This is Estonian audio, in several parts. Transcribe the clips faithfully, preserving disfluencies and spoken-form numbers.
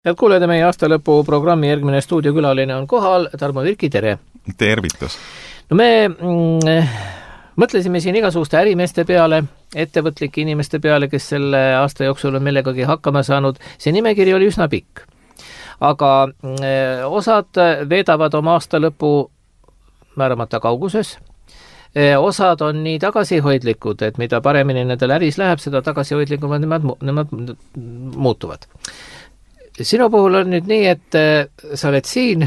Head kuulajad, meie aastalõpu programmi järgmine stuudiokülaline on kohal. Tarmo Virki, tere! Tervitus! No me mm, mõtlesime siin igasuguste ärimeeste peale, ettevõtlike inimeste peale, kes selle aasta jooksul on millegagi hakkama saanud. See nimekiri oli üsna pikk. Aga mm, osad veedavad oma aastalõpu määramata kauguses. Osad on nii tagasihoidlikud, et mida paremini nendel äris läheb, seda tagasihoidlikumad nemad, nemad muutuvad. Sinu puhul on nüüd nii, et sa oled siin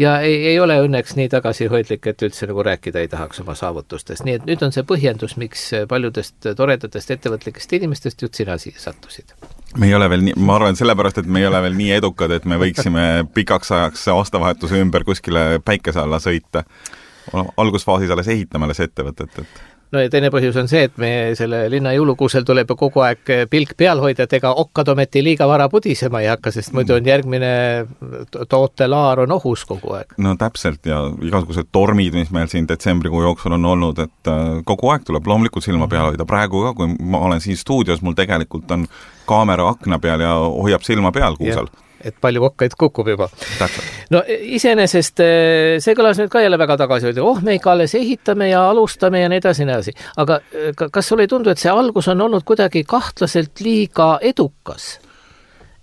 ja ei, ei ole õnneks nii tagasihoidlik, et üldse nagu rääkida ei tahaks oma saavutustest. Nii et nüüd on see põhjendus, miks paljudest toredatest ettevõtlikest inimestest just sina siia sattusid. Me ei ole veel nii, ma arvan sellepärast, et me ei ole veel nii edukad, et me võiksime pikaks ajaks aastavahetuse ümber kuskile päikese alla sõita. Algusfaasis alles ehitame alles ettevõtet, et no ja teine põhjus on see, et me selle linna jõulukuusel tuleb kogu aeg pilk peal hoida, et ega okkad ometi liiga vara pudisema ei hakka, sest muidu on järgmine tootelaar on ohus kogu aeg. No täpselt ja igasugused tormid, mis meil siin detsembrikuu jooksul on olnud, et kogu aeg tuleb loomulikult silma peal hoida. Praegu ka, kui ma olen siin stuudios, mul tegelikult on kaamera akna peal ja hoiab silma peal kuusel. Ja. Et palju kokkaid kukub juba. Täpselt. No iseenesest see kõlas nüüd ka jälle väga tagasi, et oh, me ikka alles ehitame ja alustame ja nii edasi, nii edasi. Aga kas sulle ei tundu, et see algus on olnud kuidagi kahtlaselt liiga edukas?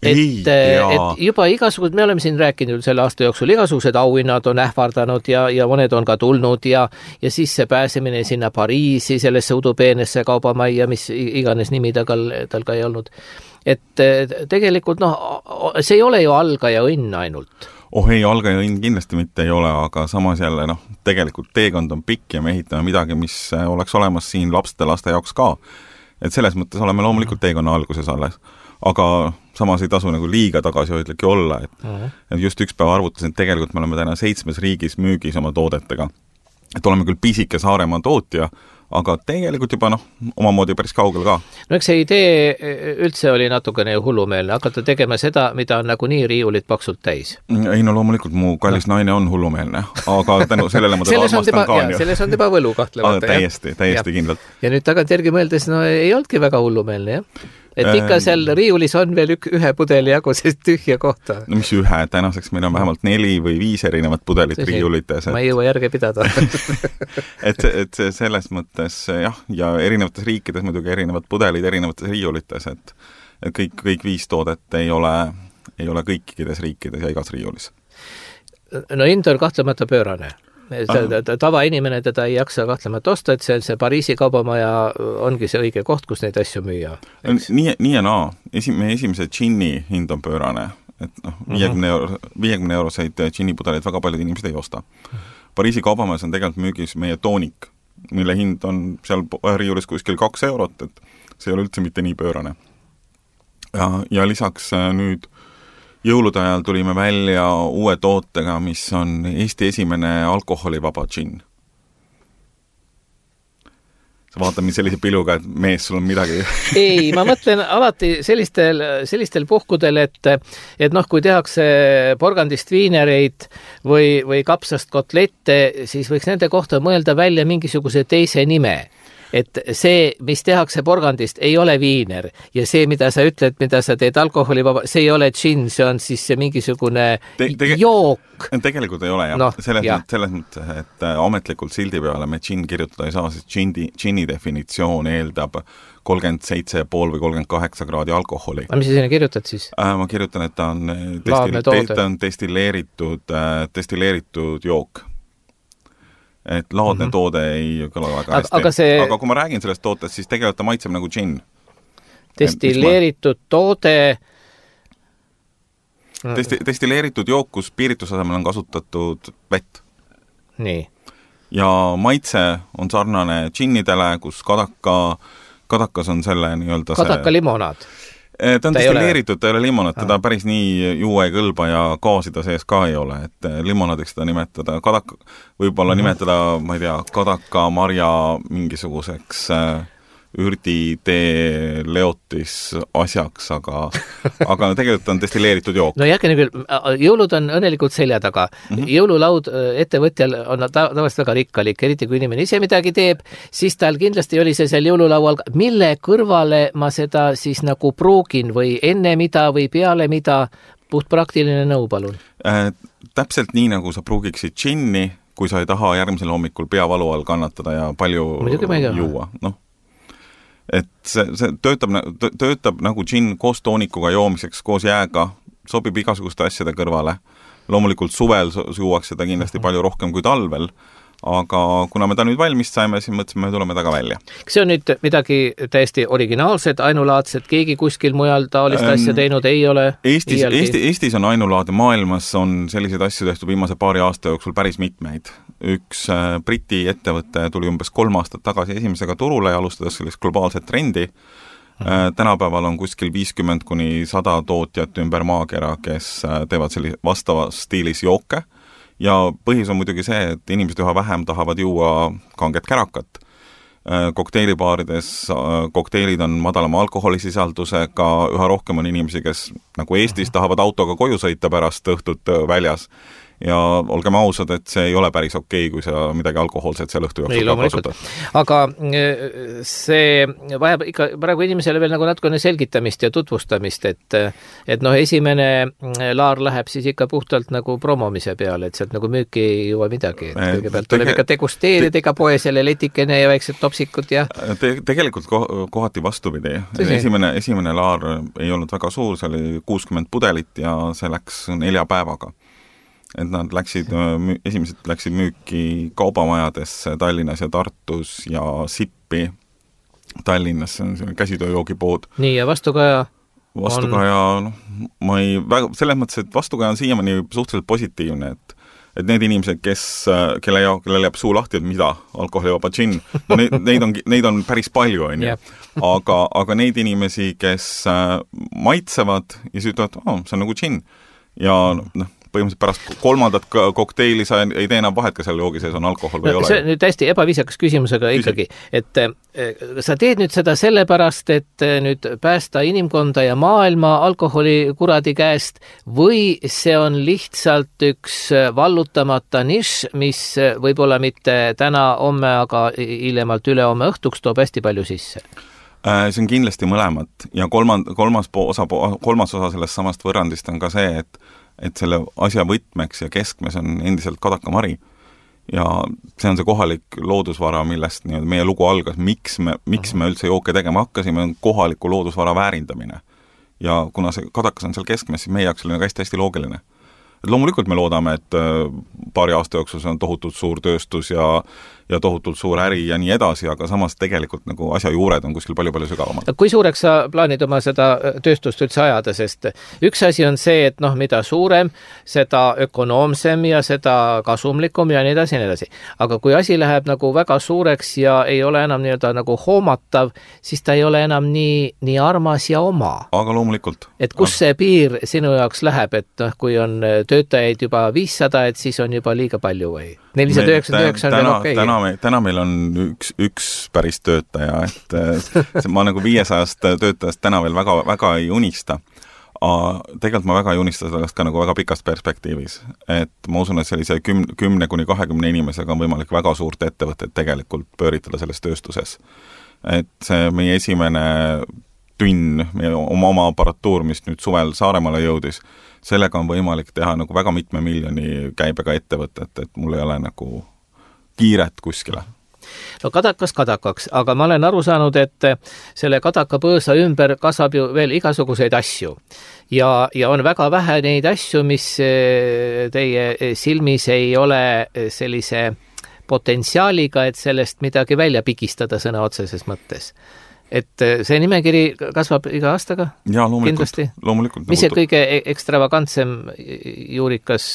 Ei, et, et juba igasugused, me oleme siin rääkinud selle aasta jooksul, igasugused auhinnad on ähvardanud ja, ja mõned on ka tulnud ja, ja siis see pääsemine sinna Pariisi, sellesse udupeenesse kaubamajja, mis iganes nimi tal, tal ka ei olnud. Et tegelikult noh, see ei ole ju algaja õnn ainult. Oh ei, algaja õnn kindlasti mitte ei ole, aga samas jälle noh, tegelikult teekond on pikk ja me ehitame midagi, mis oleks olemas siin lapste laste jaoks ka. Et selles mõttes oleme loomulikult teekonna alguses alles. Aga samas ei tasu nagu liiga tagasihoidlik olla, et, uh-huh. et just üks päev arvutasin, et tegelikult me oleme täna seitsmes riigis müügis oma toodetega. Et oleme küll pisike Saaremaa tootja, aga tegelikult juba noh, omamoodi päris kaugel ka. No eks see idee üldse oli natukene hullumeelne, hakata tegema seda, mida on nagu nii riiulid paksult täis. Ei no loomulikult mu kallis no. naine on hullumeelne, aga tänu sellele ma teda armastan ka. Ja, selles on teba võlu kahtlemata. Täiesti, täiesti ja. Kindlalt. Ja nüüd tagantjärgi mõeldes, no ei olnudki väga hullumeelne, jah? Et ikka seal riiulis on veel ük, ühe pudeli jagu sellist tühja kohta. No mis ühe, tänaseks meil on vähemalt neli või viis erinevat pudelit see, riiulites. Et... Ma ei jõua järge pidada. et, et selles mõttes jah, ja erinevates riikides muidugi erinevad pudelid erinevates riiulites, et, et kõik, kõik viis toodet ei ole, ei ole kõikides riikides ja igas riiulis. No hind on kahtlemata pöörane. Tava inimene teda ei jaksa kahtlemata osta, et see, see Pariisi kaubamaja ongi see õige koht, kus neid asju müüa. Nii, nii ja naa. Esi, meie esimese džinni hind on pöörane. Et noh, viiekümne euro, viiekümne euroseid džinnipudeleid väga paljud inimesed ei osta. Pariisi kaubamajas on tegelikult müügis meie toonik, mille hind on seal riiulis kuskil kaks eurot, et see ei ole üldse mitte nii pöörane. Ja, ja lisaks nüüd jõulude ajal tulime välja uue tootega, mis on Eesti esimene alkoholivaba džinn. Sa vaatad mind sellise piluga, et mees, sul on midagi. Ei, ma mõtlen alati sellistel, sellistel puhkudel, et, et noh, kui tehakse porgandist viinereid või, või kapsast kotlette, siis võiks nende kohta mõelda välja mingisuguse teise nime. Et see, mis tehakse porgandist, ei ole viiner ja see, mida sa ütled, mida sa teed alkoholivaba, see ei ole džinn, see on siis see mingisugune te, tege, jook. Tegelikult ei ole jah. No, selles, jah. selles mõttes, et ametlikult sildi peale me džinn kirjutada ei saa, sest džinni, džinni definitsioon eeldab kolmkümmend seitse ja pool või kolmkümmend kaheksa kraadi alkoholi. Aga mis sa sinna kirjutad siis? Äh, ma kirjutan, et ta on, destil, ta on destilleeritud, destilleeritud jook. Et laadne mm-hmm. toode ei kõla väga hästi. Aga, see... aga kui ma räägin sellest tootest, siis tegelikult ta maitseb nagu džinn. Destilleeritud ma... toode... Desti- destilleeritud jook, kus piiritusasemel on kasutatud vett. Nii. Ja maitse on sarnane džinnidele, kus kadaka, kadakas on selle nii-öelda kadaka see... limonaad. Ta on ta destilleeritud, ta ei ole limonad, teda päris nii juua ei kõlba ja gaasi ta sees ka ei ole, et limonadiks seda nimetada, kadaka, võib-olla mm-hmm. nimetada, ma ei tea, kadaka marja mingisuguseks ürditee leotis asjaks, aga, aga tegelikult on destilleeritud jook. No järgmine küll, jõulud on õnnelikult selja taga. Mm-hmm. Jõululaud ettevõtjal on tavaliselt väga rikkalik, eriti kui inimene ise midagi teeb, siis tal kindlasti oli see seal jõululaual, mille kõrvale ma seda siis nagu pruugin või enne mida või peale mida puht praktiline nõu, palun. Äh, täpselt nii, nagu sa pruugiksid džinni, kui sa ei taha järgmisel hommikul peavalu all kannatada ja palju juua. Noh, et see, see töötab, töötab nagu džinn koos toonikuga joomiseks, koos jääga, sobib igasuguste asjade kõrvale. Loomulikult suvel juuaks seda kindlasti palju rohkem kui talvel, aga kuna me ta nüüd valmis saime, siis mõtlesime, me tuleme taga välja. Kas see on nüüd midagi täiesti originaalset, ainulaadset, keegi kuskil mujal taolist ähm, asja teinud ei ole? Eestis, Eesti, Eestis on ainulaade, maailmas on selliseid asju tehtud viimase paari aasta jooksul päris mitmeid. Üks äh, Briti ettevõte tuli umbes kolm aastat tagasi esimesega turule ja alustades sellist globaalset trendi. Äh, tänapäeval on kuskil viiskümmend kuni sada tootjat ümber maakera, kes äh, teevad sellise vastava stiilis jooke. Ja põhjus on muidugi see, et inimesed üha vähem tahavad juua kanget kärakat. Kokteilibaarides kokteilid on madalama alkoholisisaldusega, üha rohkem on inimesi, kes nagu Eestis tahavad autoga koju sõita pärast õhtut väljas. Ja olgem ausad, et see ei ole päris okei, kui sa midagi alkohoolset seal õhtu jooksul ka kasutad. Aga see vajab ikka praegu inimesele veel nagu natukene selgitamist ja tutvustamist, et, et noh, esimene laar läheb siis ikka puhtalt nagu promomise peale, et sealt nagu müüki ei juua midagi. Et kõigepealt tuleb ikka degusteerida te, ega poe selle letikene ja väiksed topsikud ja... Te, tegelikult kohati vastupidi. Esimene, esimene laar ei olnud väga suur, see oli kuuskümmend pudelit ja see läks nelja päevaga. Et nad läksid, esimesed läksid müüki kaubamajadesse Tallinnas ja Tartus ja Sippi Tallinnas, see on käsitööjoogipood. Nii, ja vastukaja? Vastukaja, on... noh, ma ei, väga, selles mõttes, et vastukaja on siiamaani suhteliselt positiivne, et, et need inimesed, kes, kelle, kelle jääb suu lahti, et mida, alkoholivaba džinn, no neid, neid, on, neid on päris palju, on ju. Aga, aga neid inimesi, kes maitsevad ja siis ütlevad, oh, see on nagu džinn. Ja noh, põhimõtteliselt pärast kolmandat kokteili sa ei tee enam vahet, kas seal joogi sees on alkohol või no, ei ole. See on nüüd hästi ebaviisakas küsimusega ikkagi, et sa teed nüüd seda sellepärast, et nüüd päästa inimkonda ja maailma alkoholi kuradi käest või see on lihtsalt üks vallutamata nišš, mis võib-olla mitte täna, homme, aga hiljemalt üle homme õhtuks toob hästi palju sisse? See on kindlasti mõlemat ja kolmand, kolmas, osa, kolmas osa sellest samast võrrandist on ka see, et et selle asja võtmeks ja keskmes on endiselt kadakamari. Ja see on see kohalik loodusvara, millest nii, meie lugu algas, miks me, miks me üldse jooke tegema hakkasime, on kohaliku loodusvara väärindamine. Ja kuna see kadakas on seal keskmes, siis meie jaoks oli hästi-hästi loogiline. Et loomulikult me loodame, et paari aasta jooksul see on tohutult suur tööstus ja, ja tohutult suur äri ja nii edasi, aga samas tegelikult nagu asja juured on kuskil palju-palju sügavamad. Kui suureks sa plaanid oma seda tööstust üldse ajada, sest üks asi on see, et noh, mida suurem, seda ökonoomsem ja seda kasumlikum ja nii edasi ja nii edasi. Aga kui asi läheb nagu väga suureks ja ei ole enam nii-öelda nagu hoomatav, siis ta ei ole enam nii, nii armas ja oma. Aga loomulikult. Et kus see piir sinu jaoks läheb, et noh, kui on töötajaid juba viissada, et siis on juba liiga palju või? nelisada üheksakümmend üheksa on veel okei. Täna, me, täna meil on üks, üks päris töötaja, et ma nagu viiesajast töötajast täna veel väga, väga ei unista. Tegelikult ma väga ei unista sellest ka nagu väga pikast perspektiivis. Et ma usun, et sellise kümne, kümne kuni kahekümne inimesega on võimalik väga suurt ettevõtet tegelikult pööritada selles tööstuses. Et see meie esimene tünn, meie oma, oma aparatuur, mis nüüd suvel Saaremaale jõudis, sellega on võimalik teha nagu väga mitme miljoni käibega ettevõtet, et mul ei ole nagu kiiret kuskile. No kadakas kadakaks, aga ma olen aru saanud, et selle kadaka põõsa ümber kasvab ju veel igasuguseid asju. Ja, ja on väga vähe neid asju, mis teie silmis ei ole sellise potentsiaaliga, et sellest midagi välja pigistada sõna otseses mõttes. Et see nimekiri kasvab iga aastaga? Jaa, loomulikult. loomulikult Mis see kõige ekstravagantsem juurikas,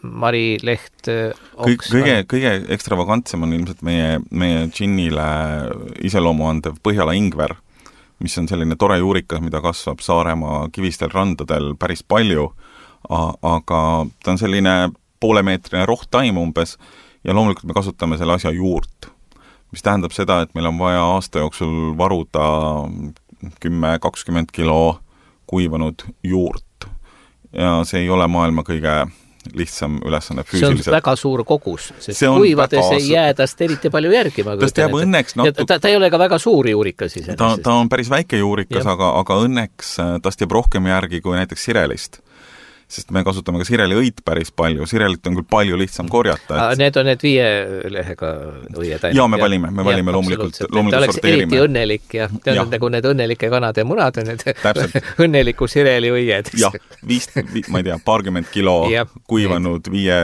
Mari, leht, oks? Kõige, kõige ekstravagantsem on ilmselt meie, meie džinnile iseloomu andev Põhjala ingver, mis on selline tore juurikas, mida kasvab Saaremaa kivistel randadel päris palju, aga ta on selline poolemeetrine rohtaim umbes ja loomulikult me kasutame selle asja juurt, mis tähendab seda, et meil on vaja aasta jooksul varuda kümme kakskümmend kilo kuivanud juurt. Ja see ei ole maailma kõige lihtsam ülesanne füüsiliselt. See on väga suur kogus, sest kuivades väga... ei jää tast eriti palju järgi. Tast jääb õnneks natu... ta, ta ei ole ka väga suur juurikas ise. Ta, ta on päris väike juurikas, aga, aga õnneks tast jääb rohkem järgi kui näiteks sirelist. sest me kasutame ka sireliõit päris palju, sirelit on küll palju lihtsam korjata. Et... Need on need viie lehega õied. Jaa, me valime, me valime ja, loomulikult, loomulikult sorteerime. Eriti õnnelik ja te on nagu need õnnelike kanade munad on need õnneliku sireli õied. Jah, viis, ma ei tea, paarkümmend kilo ja, kuivanud viie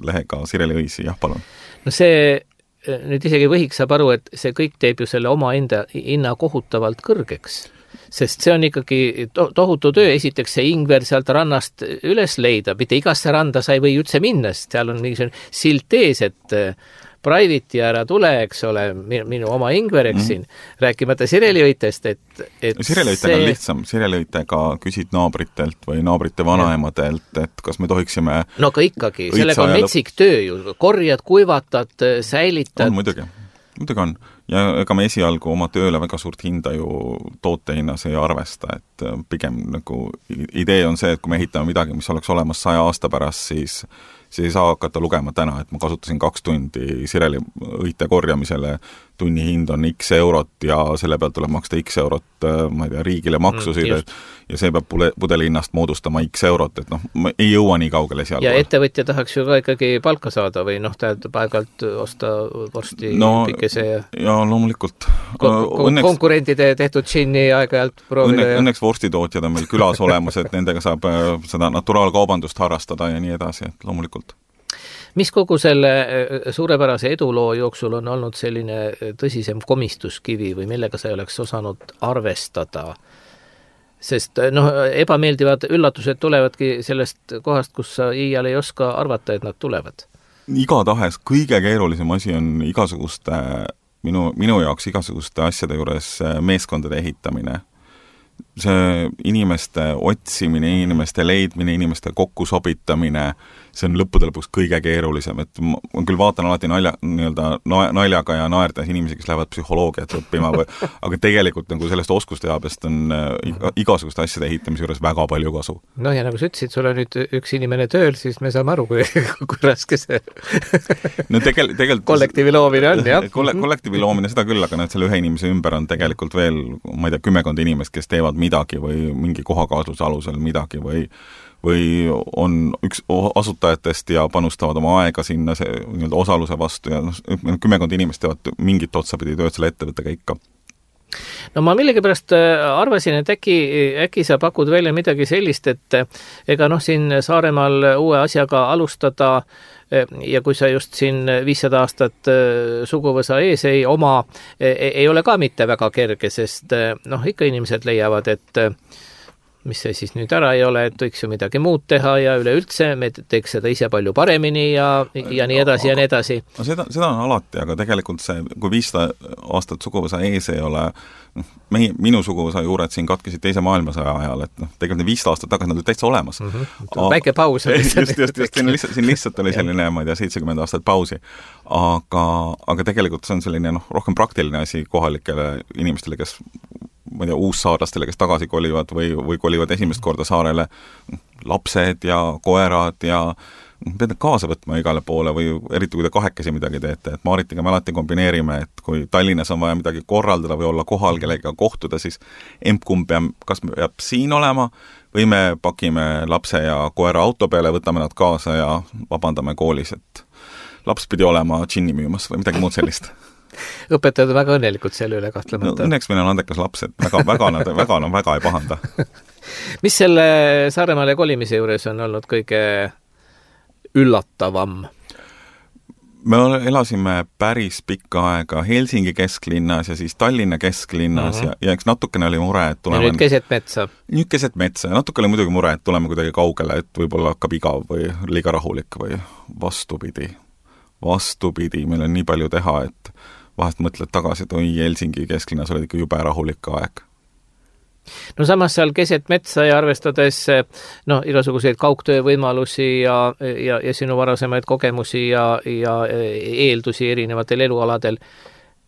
lehega sireliõisi, jah, palun. No see, nüüd isegi võhiks saab aru, et see kõik teeb ju selle oma enda hinna kohutavalt kõrgeks. Sest see on ikkagi to- tohutu töö, esiteks see ingver sealt rannast üles leida, mitte igasse randa sa ei või üldse minna, sest seal on mingisugune silt ees, et private'i ära tule, eks ole, minu oma ingver, eks siin, mm-hmm. rääkimata sireliõitest, et, et sireliõitega see... on lihtsam, sireliõitega küsid naabritelt või naabrite vanaemadelt, et kas me tohiksime no aga ikkagi, sellega on metsik töö ju, korjad, kuivatad, säilitad. On muidugi, muidugi on. Ja ega me esialgu oma tööle väga suurt hinda ju tootehinnas ei arvesta, et pigem nagu idee on see, et kui me ehitame midagi, mis oleks olemas saja aasta pärast, siis see ei saa hakata lugema täna, et ma kasutasin kaks tundi sireliõite korjamisele, tunni hind on X eurot ja selle pealt tuleb maksta X eurot, ma ei tea, riigile maksusid mm, ja see peab pudeli hinnast moodustama X eurot, et noh, ei jõua nii kaugele seal. Ja ettevõtja tahaks ju ka ikkagi palka saada või noh, tähendab aeg-alt osta vorsti no, pikese ja... ja loomulikult. Ko- õnneks, konkurentide tehtud džinni aeg-ajalt proovida. Õnne, ja... Õnneks vorstitootjad on meil külas olemas, et nendega saab seda naturaalkaubandust harrastada ja nii edasi, et loomulikult. Mis kogu selle suurepärase eduloo jooksul on olnud selline tõsisem komistuskivi või millega sa ei oleks osanud arvestada? Sest noh, ebameeldivad üllatused tulevadki sellest kohast, kus sa iial ei oska arvata, et nad tulevad. Igatahes kõige keerulisem asi on igasuguste, minu, minu jaoks igasuguste asjade juures meeskondade ehitamine. See inimeste otsimine, inimeste leidmine, inimeste kokkusobitamine, see on lõppude lõpuks kõige keerulisem, et ma küll vaatan alati nalja, nii-öelda naljaga ja naerdes inimesi, kes lähevad psühholoogiat õppima, või, aga tegelikult nagu sellest oskusteabest on igasuguste asjade ehitamise juures väga palju kasu. No ja nagu sa ütlesid, sul on nüüd üks inimene tööl, siis me saame aru, kui, kui raske see no tegel, tegel, kollektiivi loomine on, jah. Kolle, kollektiivi loomine seda küll, aga need selle ühe inimese ümber on tegelikult veel, ma ei tea, kümmekond inimest, kes teevad midagi või mingi kohakaasluse alusel midagi või või on üks asutajatest ja panustavad oma aega sinna see nii-öelda osaluse vastu ja noh, kümmekond inimest teevad mingit otsapidi tööd selle ettevõttega ikka. No ma millegipärast arvasin, et äkki, äkki sa pakud välja midagi sellist, et ega noh, siin Saaremaal uue asjaga alustada ja kui sa just siin viissada aastat suguvõsa ees ei oma, ei ole ka mitte väga kerge, sest noh, ikka inimesed leiavad, et mis see siis nüüd ära ei ole, et võiks ju midagi muud teha ja üleüldse me teeks seda ise palju paremini ja, ja nii edasi ja nii edasi. No seda, seda on alati, aga tegelikult see, kui viissada aastat suguvõsa ees ei ole, meie, minu suguvõsa juured siin katkesid teise maailmasõja ajal, et noh, tegelikult viissada aastat tagasi nad olid täitsa olemas. Mm -hmm. Väike paus. just, just, just, siin lihtsalt, siin lihtsalt oli selline, ma ei tea, seitsekümmend aastat pausi. Aga, aga tegelikult see on selline noh, rohkem praktiline asi kohalikele inimestele, kes ma ei tea, uussaarlastele, kes tagasi kolivad või, või kolivad esimest korda saarele, lapsed ja koerad ja pead need kaasa võtma igale poole või eriti kui te kahekesi midagi teete, et Maaritiga me alati kombineerime, et kui Tallinnas on vaja midagi korraldada või olla kohal kellega kohtuda, siis emp-kumb peab, kas peab siin olema või me pakime lapse ja koera auto peale, võtame nad kaasa ja vabandame koolis, et laps pidi olema džinni müümas või midagi muud sellist. Õpetajad on väga õnnelikud selle üle kahtlemata. No, õnneks meil on andekas laps, et väga, väga, nad, väga, nad väga ei pahanda. Mis selle Saaremaale kolimise juures on olnud kõige üllatavam? Me elasime päris pikka aega Helsingi kesklinnas ja siis Tallinna kesklinnas uh-huh. ja, ja eks natukene oli mure, et tuleme... Ja nüüd keset metsa. Nüüd keset metsa ja natuke oli muidugi mure, et tuleme kuidagi kaugele, et võib-olla hakkab igav või liiga rahulik või vastupidi. Vastupidi, meil on nii palju teha, et vahest mõtled tagasi, et oi, Helsingi kesklinnas oli ikka jube rahulik aeg. No samas seal keset metsa ja arvestades no, igasuguseid kaugtöö võimalusi ja, ja, ja sinu varasemaid kogemusi ja, ja eeldusi erinevatel elualadel.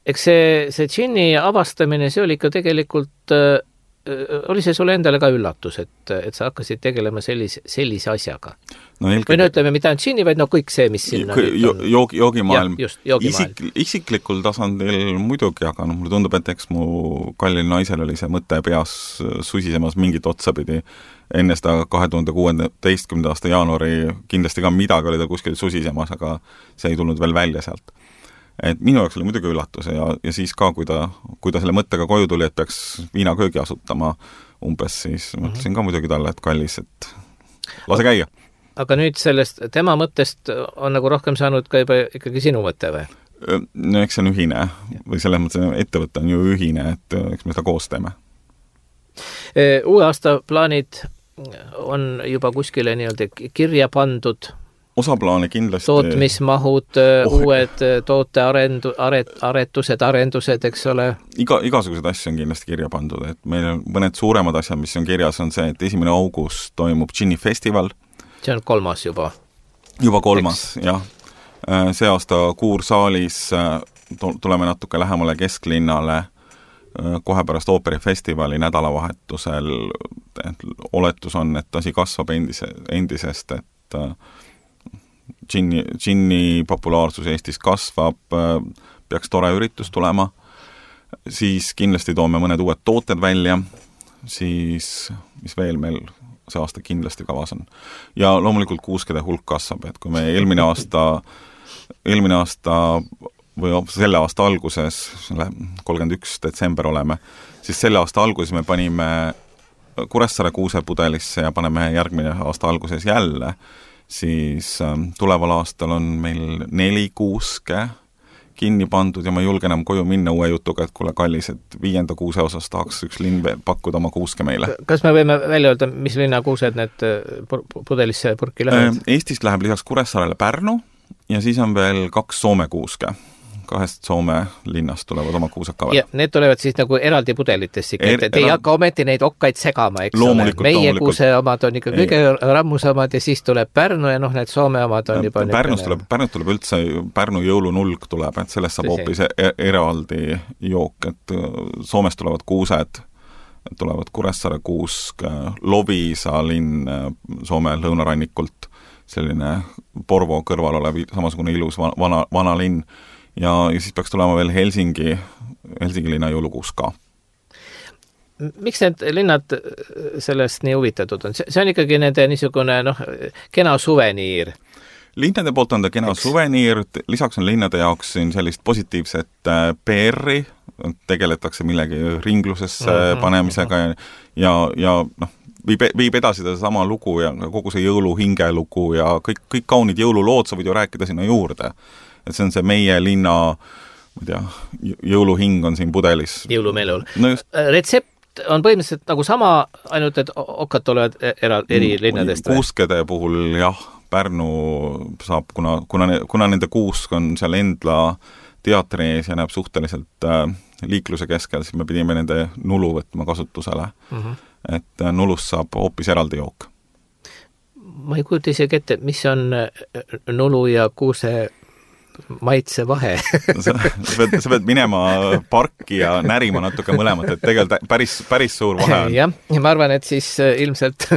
Eks see, see džinni avastamine, see oli ikka tegelikult oli see sulle endale ka üllatus, et, et sa hakkasid tegelema sellise, sellise asjaga? No, eelkõige... või no ütleme, mitte ainult džinni, vaid no kõik see, mis sinna jo, joog, joogimaailm. Ja, just, joogimaailm. Isik, isiklikul tasandil muidugi, aga no, mulle tundub, et eks mu kallil naisel oli see mõte peas susisemas mingit otsapidi enne seda kahe tuhande kuueteistkümnenda aasta jaanuari kindlasti ka midagi oli ta kuskil susisemas, aga see ei tulnud veel välja sealt. Et minu jaoks oli muidugi üllatus ja, ja siis ka, kui ta, kui ta selle mõttega koju tuli, et peaks viinaköögi asutama umbes, siis mm-hmm. mõtlesin ka muidugi talle, et kallis, et lase käia. Aga nüüd sellest tema mõttest on nagu rohkem saanud ka juba ikkagi sinu mõte või? No eks see on ühine või selles mõttes ettevõte on ju ühine, et eks me seda koos teeme. Uue aasta plaanid on juba kuskile nii-öelda kirja pandud osa plaane kindlasti... tootmismahud, oh, uued toote arendu, aret, aretused, arendused, eks ole? Iga, igasugused asju on kindlasti kirja pandud, et meil on mõned suuremad asjad, mis on kirjas, on see, et esimene august toimub Džinni festival. See on kolmas juba? Juba kolmas, eks? Jah. See aasta Kuursaalis tuleme natuke lähemale kesklinnale kohe pärast ooperifestivali nädalavahetusel. Oletus on, et asi kasvab endise, endisest, et Džinni, džinni populaarsus Eestis kasvab, peaks tore üritus tulema, siis kindlasti toome mõned uued tooted välja, siis mis veel meil see aasta kindlasti kavas on. Ja loomulikult kuuskede hulk kasvab, et kui me eelmine aasta, eelmine aasta või selle aasta alguses, kolmkümmend üks detsember oleme, siis selle aasta alguses me panime Kuressaare kuusepudelisse ja paneme järgmine aasta alguses jälle, siis tuleval aastal on meil neli kuuske kinni pandud ja ma julgen enam koju minna uue jutuga, et kuule kallis, et viienda kuuse osas tahaks üks linn pakkuda oma kuuske meile. Kas me võime välja öelda, mis linna kuused need pudelisse purki lähevad? Eestist läheb lisaks Kuressaarele Pärnu ja siis on veel kaks Soome kuuske. Kahest Soome linnast tulevad oma kuused ka veel. Ja need tulevad siis nagu eraldi pudelitesse, et te ei hakka ometi neid okkaid segama, eks ole. Meie kuuse omad on ikka kõige rammusamad ja siis tuleb Pärnu ja noh, need Soome omad on juba... Pärnus tuleb, Pärnus tuleb üldse, Pärnu jõulunulg tuleb, et sellest saab hoopis eraldi jook, et Soomes tulevad kuused, tulevad Kuressaare kuusk, Loviisa linn Soome lõunarannikult, selline Porvo kõrval olev samasugune ilus vana, vana linn, ja, ja siis peaks tulema veel Helsingi, Helsingi linna jõulukuus ka. Miks need linnad sellest nii huvitatud on? See on ikkagi nende niisugune noh, kena suveniir. Linnade poolt on ta kena Eks. suveniir, lisaks on linnade jaoks siin sellist positiivset P R-i, tegeletakse millegi ringlusesse mm-hmm. panemisega ja, ja, ja noh, viib, viib edasi seda sama lugu ja kogu see jõulu hingelugu ja kõik, kõik kaunid jõululood sa võid ju rääkida sinna juurde. Et see on see meie linna, ma tea, jõuluhing on siin pudelis. Jõulumelul. No just. Retsept on põhimõtteliselt nagu sama, ainult et okkad tulevad era, eri linnadest. Kuuskede puhul jah, Pärnu saab, kuna, kuna, kuna nende kuusk on seal Endla teatri ees ja näeb suhteliselt äh, liikluse keskel, siis me pidime nende nulu võtma kasutusele. Mm-hmm. Et äh, nulust saab hoopis eraldi jook. Ma ei kujuta isegi ette, mis on nulu ja kuuse maitse vahe. sa, sa, pead, sa pead minema parki ja närima natuke mõlemat, et tegelikult päris, päris suur vahe on. Jah, ja ma arvan, et siis ilmselt,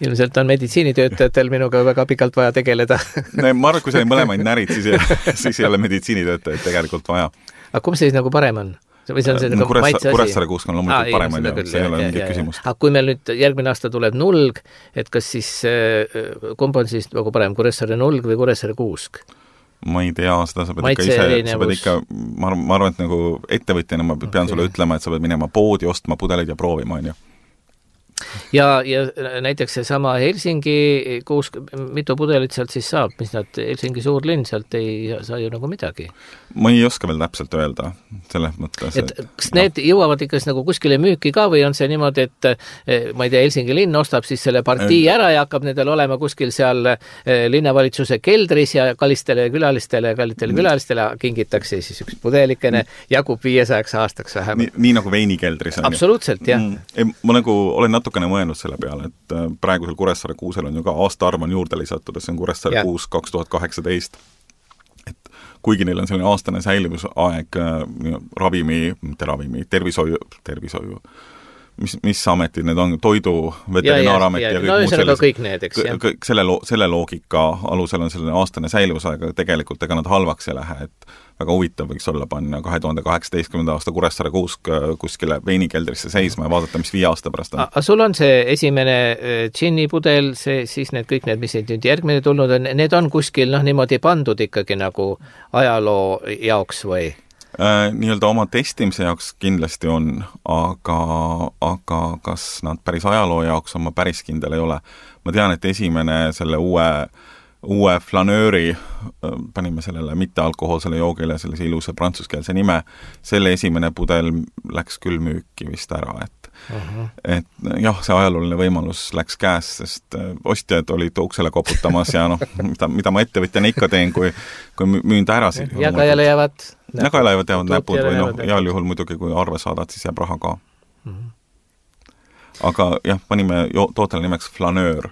ilmselt on meditsiinitöötajatel minuga väga pikalt vaja tegeleda. No, ma arvan, kui sa ei mõlemaid närid, siis, siis ei ole meditsiinitöötajaid tegelikult vaja. Aga kumb see siis nagu parem on? Või see on see nagu Kuressa, maitse asi? Kuressaare kuusk on loomulikult ah, parem, on ju, see ei ole mingit küsimust. Aga kui meil nüüd järgmine aasta tuleb nulg, et kas siis, kumb on siis nagu parem, Kuressaare nulg või Kuressaare kuusk? Ma ei tea, seda sa pead ikka ise, sa pead ikka, ma arvan, et nagu ettevõtjana ma pean okay. sulle ütlema, et sa pead minema poodi, ostma pudeleid ja proovima, on ju. Ja, ja näiteks see sama Helsingi kuusk, mitu pudelit sealt siis saab, mis nad, Helsingi suur linn, sealt ei saa ju nagu midagi. Ma ei oska veel täpselt öelda selles mõttes. Et, et kas no. need jõuavad ikka nagu kuskile müüki ka või on see niimoodi, et ma ei tea, Helsingi linn ostab siis selle partii ära ja hakkab nendel olema kuskil seal linnavalitsuse keldris ja kallistele külalistele ja kallitele külalistele kingitakse siis üks pudelikene, jagub viiesajaks aastaks vähemalt. Nii, nii nagu veinikeldris on. Absoluutselt, jah. Mm, ma nagu olen natukene mõelnud selle peale, et praegusel Kuressaare kuusel on ju ka aastaarv on juurde lisatud, see on Kuressaare kuus kaks tuhat kaheksateist. Et kuigi neil on selline aastane säilivusaeg ravimi, mitte ravimi, tervishoiu, tervishoiu, mis, mis ametid need on, toidu, veterinaaramet ja, ja, ja, ja kõik no, muud kõik need, eks, jah. Kõik selle, lo, selle loogika alusel on selline aastane säilus, aga tegelikult ega nad halvaks ei lähe, et väga huvitav võiks olla panna kahe tuhande kaheksateistkümnenda aasta Kuressaare kuusk kuskile veinikeldrisse seisma ja vaadata, mis viie aasta pärast on. Aga sul on see esimene džinni pudel, see, siis need kõik need, mis nüüd järgmine tulnud on, need on kuskil noh, niimoodi pandud ikkagi nagu ajaloo jaoks või? Äh, nii-öelda oma testimise jaoks kindlasti on, aga, aga kas nad päris ajaloo jaoks on, ma päris kindel ei ole. Ma tean, et esimene selle uue, uue flanööri, panime sellele mittealkohoolsele joogile sellise ilusa prantsuskeelse nime, selle esimene pudel läks küll müüki vist ära, et Uh-huh. et jah, see ajalooline võimalus läks käes, sest ostjad olid uksele koputamas ja noh, mida, mida ma ettevõtjana ikka teen, kui, kui müün ta ära. Jagajale jäävad Jagajale jäävad, jäävad näpud või noh, heal juhul muidugi, kui arve saadad, siis jääb raha ka. Uh-huh. Aga jah, panime jo- tootele nimeks flanöör.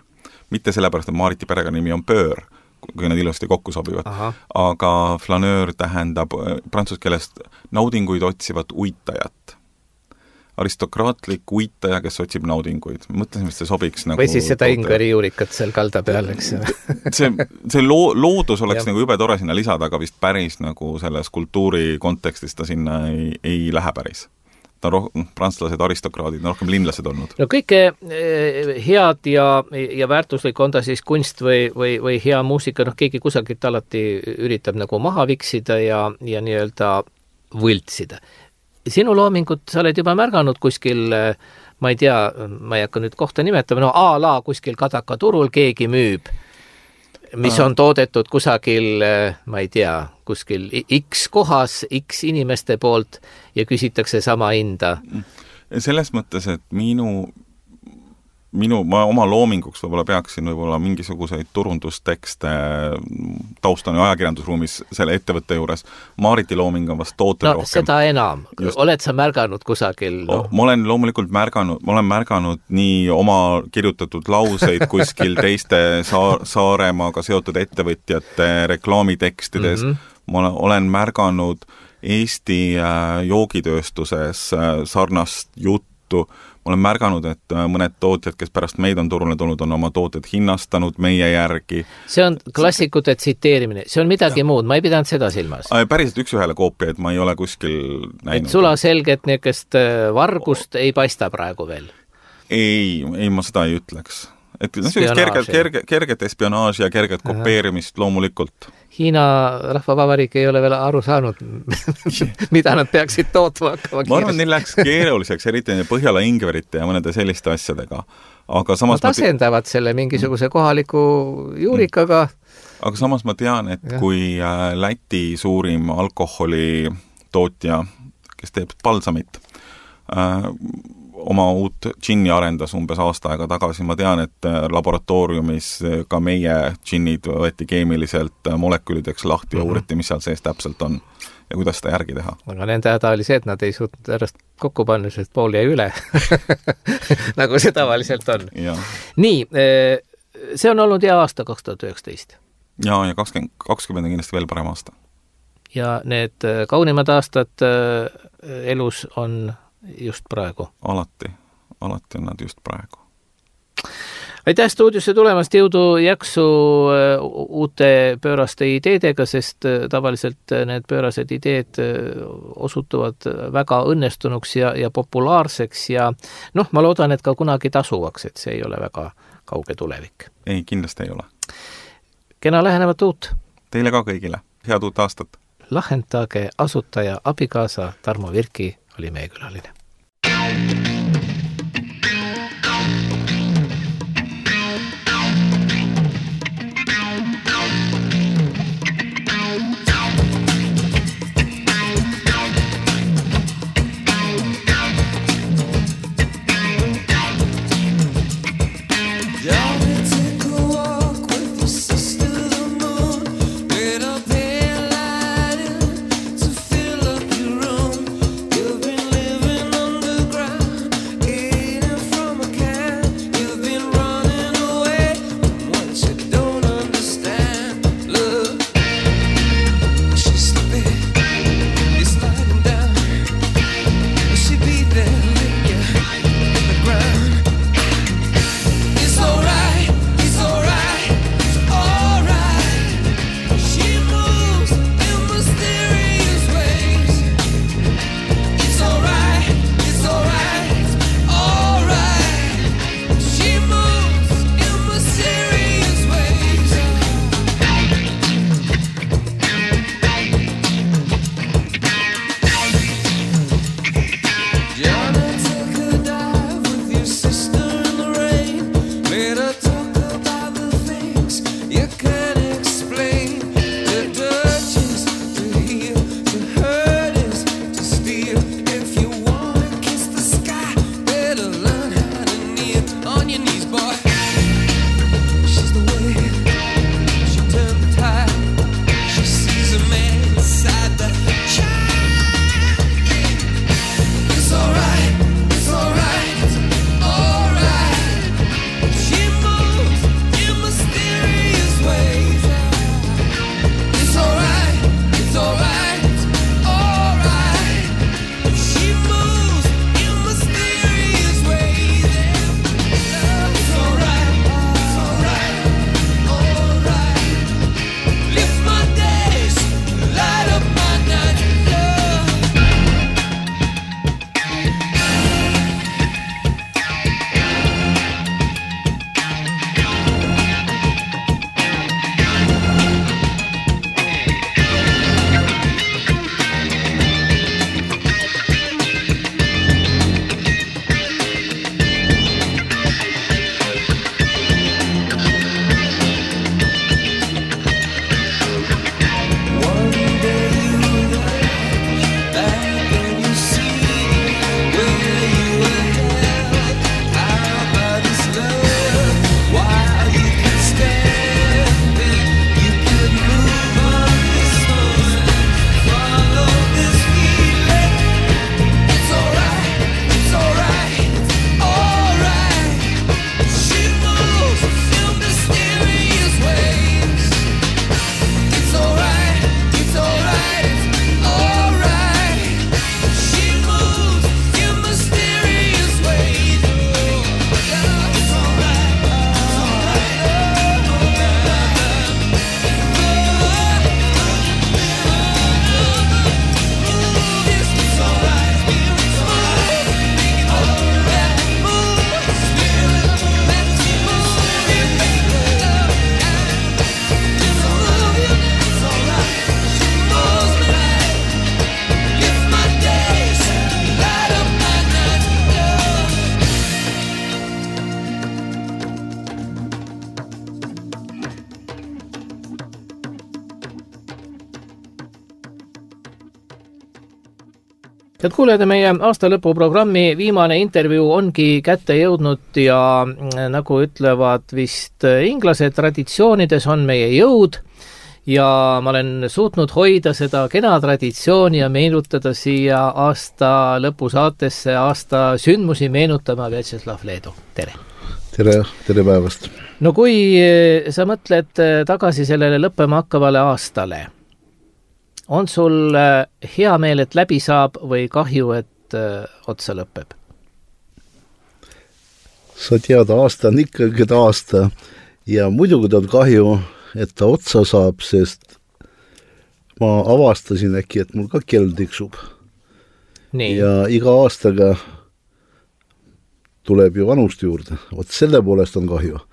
Mitte sellepärast, et Maariti perega nimi on pöör, kui nad ilusti kokku sobivad. Aha. Aga flanöör tähendab prantsuse keelest naudinguid otsivat uitajat. Aristokraatlik uitaja, kes otsib naudinguid. Mõtlesin, et see sobiks nagu... Või siis seda ingveri juurikat seal kalda peal, eks? see see loo, loodus oleks ja. Nagu jube tore sinna lisada, aga vist päris nagu selles kultuuri kontekstis ta sinna ei, ei lähe päris. Ta on roh-, prantslased, aristokraadid, on rohkem linlased olnud. No kõike head ja, ja väärtuslik on ta siis kunst või, või, või hea muusika, noh keegi kusagilt alati üritab nagu maha viksida ja, ja nii-öelda võltsida. Sinu loomingut sa oled juba märganud kuskil, ma ei tea, ma ei hakka nüüd kohta nimetama, no a la kuskil Kadaka turul keegi müüb, mis on toodetud kusagil, ma ei tea, kuskil X kohas, X inimeste poolt ja küsitakse sama hinda. Selles mõttes, et minu minu, ma oma loominguks võib-olla peaksin võib-olla mingisuguseid turundustekste taustan ja ajakirjandusruumis selle ettevõtte juures. Maariti looming on vast tootel no, rohkem. Seda enam. Just. Oled sa märganud kusagil? No? Ma olen loomulikult märganud, ma olen märganud nii oma kirjutatud lauseid kuskil teiste saar, Saaremaaga seotud ettevõtjate reklaamitekstides. Mm-hmm. Ma olen märganud Eesti joogitööstuses sarnast juttu. Ma olen märganud, et mõned tootjad, kes pärast meid on turule tulnud, on oma tooted hinnastanud meie järgi. See on klassikute tsiteerimine. See on midagi ja. Muud. Ma ei pidanud seda silmas. Päriselt üks ühele koopia, et ma ei ole kuskil näinud. Et sula selget niisugust vargust ei paista praegu veel? Ei, ei ma seda ei ütleks. Et kerget, kerget, kerget espionaaži ja kerget Aha. kopeerimist loomulikult. Hiina rahvavabariik ei ole veel aru saanud, mida nad peaksid tootma hakkama. Ma arvan, neil läks keeruliseks, eriti Põhjala ingverite ja mõnede selliste asjadega. Aga samas Nad asendavad ma te... selle mingisuguse kohaliku juurikaga. Aga samas ma tean, et ja. Kui Läti suurim alkoholi tootja, kes teeb balsamit, äh, oma uut džinni arendas umbes aasta aega tagasi. Ma tean, et laboratooriumis ka meie džinnid võeti keemiliselt molekülideks lahti ja mm-hmm. uuriti, mis seal sees täpselt on ja kuidas seda järgi teha. Aga nende häda oli see, et nad ei suutnud ärast kokku panna, sest pool jäi üle. nagu see tavaliselt on. Ja. Nii, see on olnud hea aasta kaks tuhat üheksateist. Ja, ja kakskümmend, kakskümmend on kindlasti veel parem aasta. Ja need kaunimad aastad elus on just praegu. Alati, alati on nad just praegu. Aitäh stuudiosse tulemast, jõudu jaksu uute pööraste ideedega, sest tavaliselt need pöörased ideed osutuvad väga õnnestunuks ja, ja populaarseks ja noh, ma loodan, et ka kunagi tasuvaks, et see ei ole väga kauge tulevik. Ei, kindlasti ei ole. Kena lähenevat uut. Teile ka kõigile. Head uut aastat. Lahendage asutaja abikaasa Tarmo Virki oli meie külaline. Head kuulajad, meie aastalõpu programmi viimane intervjuu ongi kätte jõudnud ja nagu ütlevad vist inglased, traditsioonides on meie jõud ja ma olen suutnud hoida seda kena traditsiooni ja meenutada siia aasta lõpusaatesse aasta sündmusi meenutama Vjatšeslav Leedu. Tere! Tere, tere päevast! No kui sa mõtled tagasi sellele lõppema hakkavale aastale, on sul hea meel, et läbi saab või kahju, et otsa lõpeb? Sa tead, aasta on ikkagi aasta ja muidugi on kahju, et ta otsa saab, sest ma avastasin äkki, et mul ka kell tiksub. Nii. Ja iga aastaga tuleb ju vanust juurde. Vot selle poolest on kahju.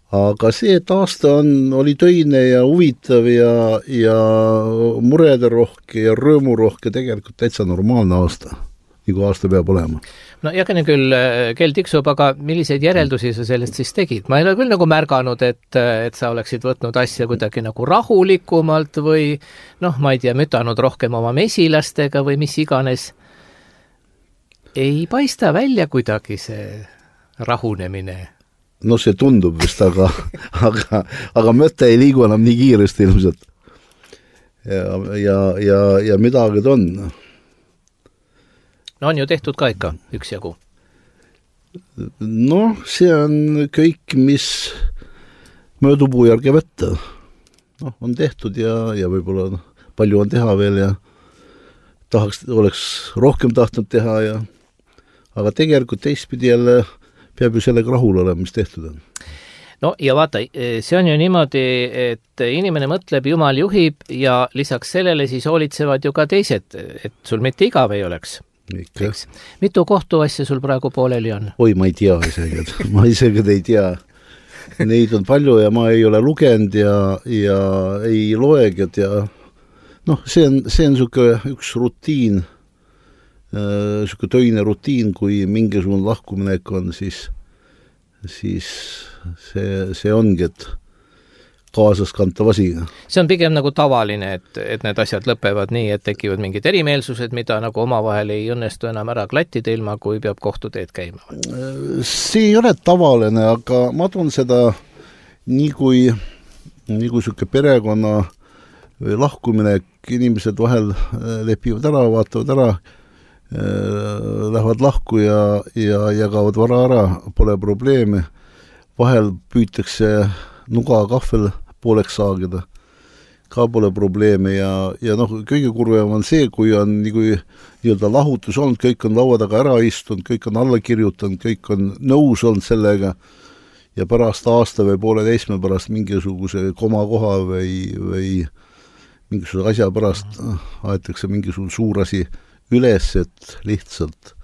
Aga see, et aasta on, oli töine ja huvitav ja, ja murede rohke ja rõõmu rohke, tegelikult täitsa normaalne aasta, nagu aasta peab olema. No jagene küll kell tiksub, aga milliseid järeldusi sa sellest siis tegid? Ma ei ole küll nagu märganud, et, et sa oleksid võtnud asja kuidagi nagu rahulikumalt või noh, ma ei tea, mütanud rohkem oma mesilastega või mis iganes. Ei paista välja kuidagi see rahunemine. No see tundub vist, aga, aga, aga mõte ei liigu enam nii kiiresti ilmselt. Ja, ja, ja, ja midagi on. No on ju tehtud ka ikka üksjagu. No see on kõik, mis möödupuu järgi võtta. No, on tehtud ja, ja võib-olla palju on teha veel ja tahaks, oleks rohkem tahtnud teha ja aga tegelikult teistpidi jälle peab ju sellega rahul olema, mis tehtud on. No ja vaata, see on ju niimoodi, et inimene mõtleb, Jumal juhib ja lisaks sellele siis hoolitsevad ju ka teised, et sul mitte igav ei oleks. Ikka. Mitu kohtuasja sul praegu pooleli on? Oi, ma ei tea isegi, ma isegi ei tea. Neid on palju ja ma ei ole lugenud ja, ja ei loegid ja noh, see on, see on suke üks rutiin, suke töine rutiin, kui mingisugune lahkuminek on, siis, siis see, see ongi, et kaasas kantav asi. See on pigem nagu tavaline, et, et need asjad lõpevad nii, et tekivad mingid erimeelsused, mida nagu omavahel ei õnnestu enam ära klattida ilma, kui peab kohtuteed käima. See ei ole tavaline, aga ma toon seda nii kui, nii kui suke perekonna või lahkuminek, inimesed vahel lepivad ära, vaatavad ära, lähevad lahku ja, ja jagavad vara ära, pole probleeme. Vahel püütakse nuga kahvel pooleks saagida, ka pole probleeme ja, ja noh, kõige kurvem on see, kui on nii kui nii-öelda lahutus olnud, kõik on laua taga ära istunud, kõik on alla kirjutanud, kõik on nõus olnud sellega ja pärast aasta või pooleteisme pärast mingisuguse komakoha või, või mingisuguse asja pärast aetakse mingisugune suur asi üles, et lihtsalt,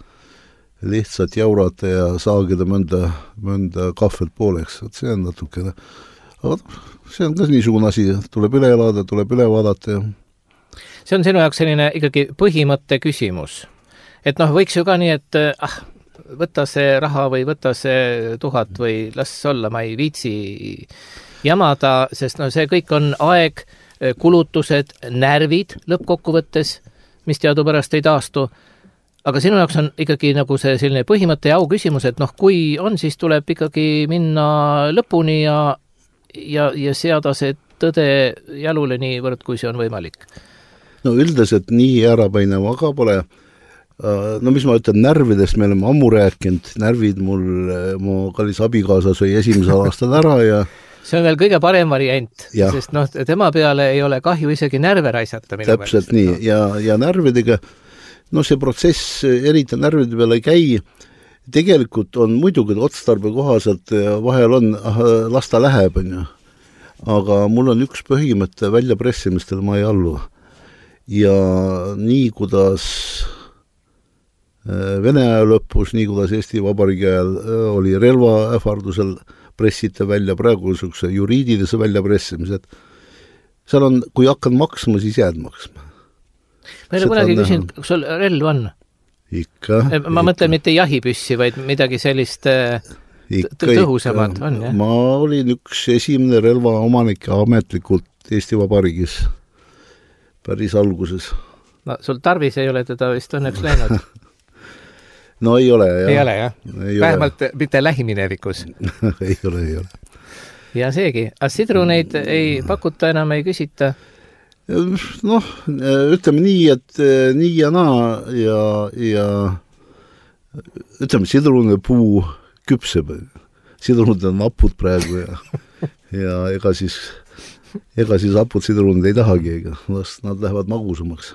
lihtsalt jaurata ja saagida mõnda, mõnda kahvelt pooleks. Et see on natukene. Aga see on ka niisugune asi, tuleb üle elada, tuleb üle vaadata. See on sinu jaoks selline ikkagi põhimõtte küsimus. Et noh, võiks ju ka nii, et ah, võta see raha või võta see tuhat või las olla, ma ei viitsi jamada, sest no see kõik on aeg, kulutused, närvid lõppkokkuvõttes, mis teadupärast ei taastu. Aga sinu jaoks on ikkagi nagu see selline põhimõtte ja au küsimus, et noh, kui on, siis tuleb ikkagi minna lõpuni ja, ja, ja seada see tõde jalule niivõrd, kui see on võimalik. No üldiselt nii ärapäinev aga pole. No mis ma ütlen, närvidest me oleme ammu rääkinud, närvid mul, mu kallis abikaasa sõi esimesel aastal ära ja see on veel kõige parem variant, ja. Sest noh, tema peale ei ole kahju isegi närve raisata. Täpselt nii, no. ja, ja närvidega, no see protsess eriti närvide peale ei käi, tegelikult on muidugi otstarbe kohaselt, vahel on, las ta läheb, on ju. Aga mul on üks põhimõte väljapressimistel, ma ei allu. Ja nii, kuidas Vene aja lõpus, nii kuidas Eesti Vabariigi ajal oli relva ähvardusel pressite välja praegu niisuguse juriidilise väljapressimised. Seal on, kui hakkan maksma, siis jääd maksma. Ma ei ole kunagi küsin, kas sul relv on? Ikka. Ma ikka. Mõtlen mitte jahipüssi, vaid midagi sellist ikka, tõhusamat ikka. On, jah? Ma olin üks esimene relva omanik ametlikult Eesti Vabariigis päris alguses. no sul tarvis ei ole teda vist õnneks läinud. No ei ole, jah. Ei ole, jah? Ei vähemalt ole. Mitte lähiminevikus. ei ole, ei ole. Ja seegi. Aga sidruneid ei pakuta enam, ei küsita? Noh, ütleme nii, et nii ja naa ja, ja ütleme, sidrune puu küpseb. Sidrunid on apud praegu ja, ja ega siis, ega siis apud sidrunid ei tahagi, ega nad lähevad magusamaks.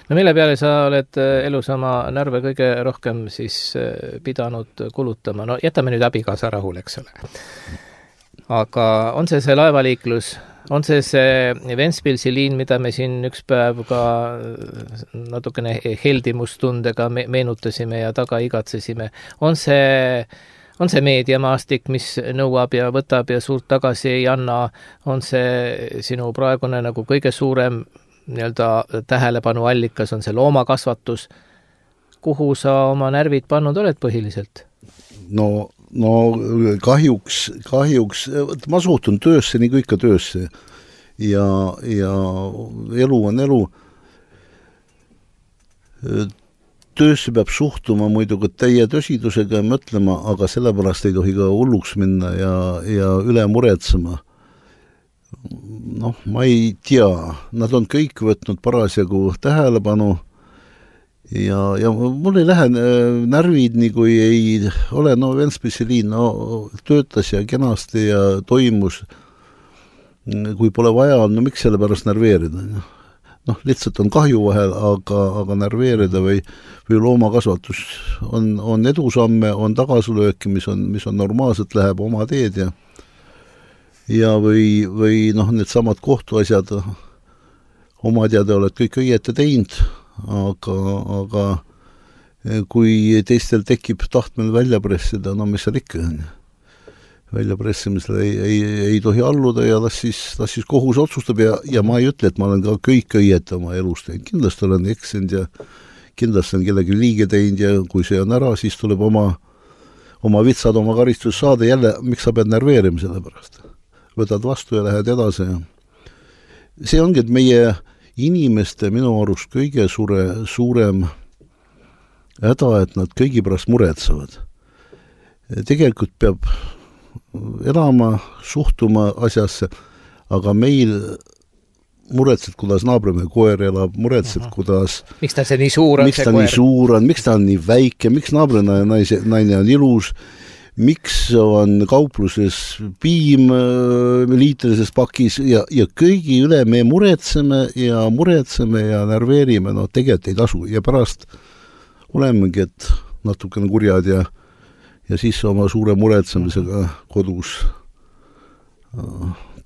No mille peale sa oled elus oma närve kõige rohkem siis pidanud kulutama? No jätame nüüd abikaasa rahul, eks ole. Aga on see see laevaliiklus, on see see Ventspilsi liin, mida me siin üks päev ka natukene heldimustundega meenutasime ja taga igatsesime, on see, on see meediamaastik, mis nõuab ja võtab ja suurt tagasi ei anna, on see sinu praegune nagu kõige suurem nii-öelda tähelepanu allikas, on see loomakasvatus, kuhu sa oma närvid pannud oled põhiliselt? No No kahjuks, kahjuks, ma suhtun töösse nii kui ikka töösse ja, ja elu on elu. Töösse peab suhtuma muidugi täie tõsidusega ja mõtlema, aga sellepärast ei tohi ka hulluks minna ja, ja üle muretsema. Noh, ma ei tea, nad on kõik võtnud parasjagu tähelepanu ja, ja mul ei lähe närvid nii kui ei ole, no Ventspilsi liin no, töötas ja kenasti ja toimus, kui pole vaja, no miks selle pärast närveerida? Noh, lihtsalt on kahju vahel, aga, aga närveerida või, või loomakasvatus on, on edusamme, on tagasilööki, mis on, mis on normaalselt, läheb oma teed ja, ja või, või noh, need samad kohtuasjad, oma teada oled kõik õieti teinud, aga, aga kui teistel tekib tahtmine välja pressida, no mis seal ikka on. Välja pressimisele ei, ei, ei tohi alluda ja las siis, las siis kohus otsustab ja, ja ma ei ütle, et ma olen ka kõik õieti oma elus teinud. Kindlasti olen eksinud ja kindlasti on kellegi liige teinud ja kui see on ära, siis tuleb oma, oma vitsad, oma karistus saada jälle, miks sa pead närveerima selle pärast. Võtad vastu ja lähed edasi. See ongi, et meie inimeste minu arust kõige suure, suurem häda, et nad kõigi pärast muretsevad. Tegelikult peab elama, suhtuma asjasse, aga meil muretsed, kuidas naabrimehe koer elab, muretsed, kuidas miks ta see nii suur on, miks ta nii suur on, miks ta on nii väike, miks naabrina naise, naine on ilus, miks on kaupluses piim liitrises pakis ja, ja kõigi üle me muretseme ja muretseme ja närveerime, no tegelikult ei tasu ja pärast olemegi, et natukene kurjad ja, ja siis oma suure muretsemisega kodus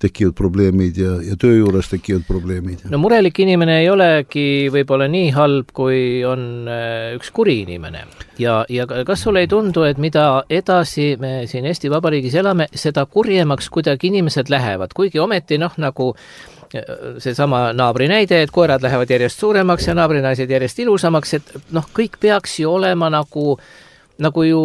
tekivad probleemid ja, ja töö juures tekivad probleemid. No murelik inimene ei olegi võib-olla nii halb, kui on üks kuri inimene. Ja, ja kas sulle ei tundu, et mida edasi me siin Eesti Vabariigis elame, seda kurjemaks kuidagi inimesed lähevad, kuigi ometi noh, nagu see sama naabri näide, et koerad lähevad järjest suuremaks ja naabrinaised järjest ilusamaks, et noh, kõik peaks ju olema nagu, nagu ju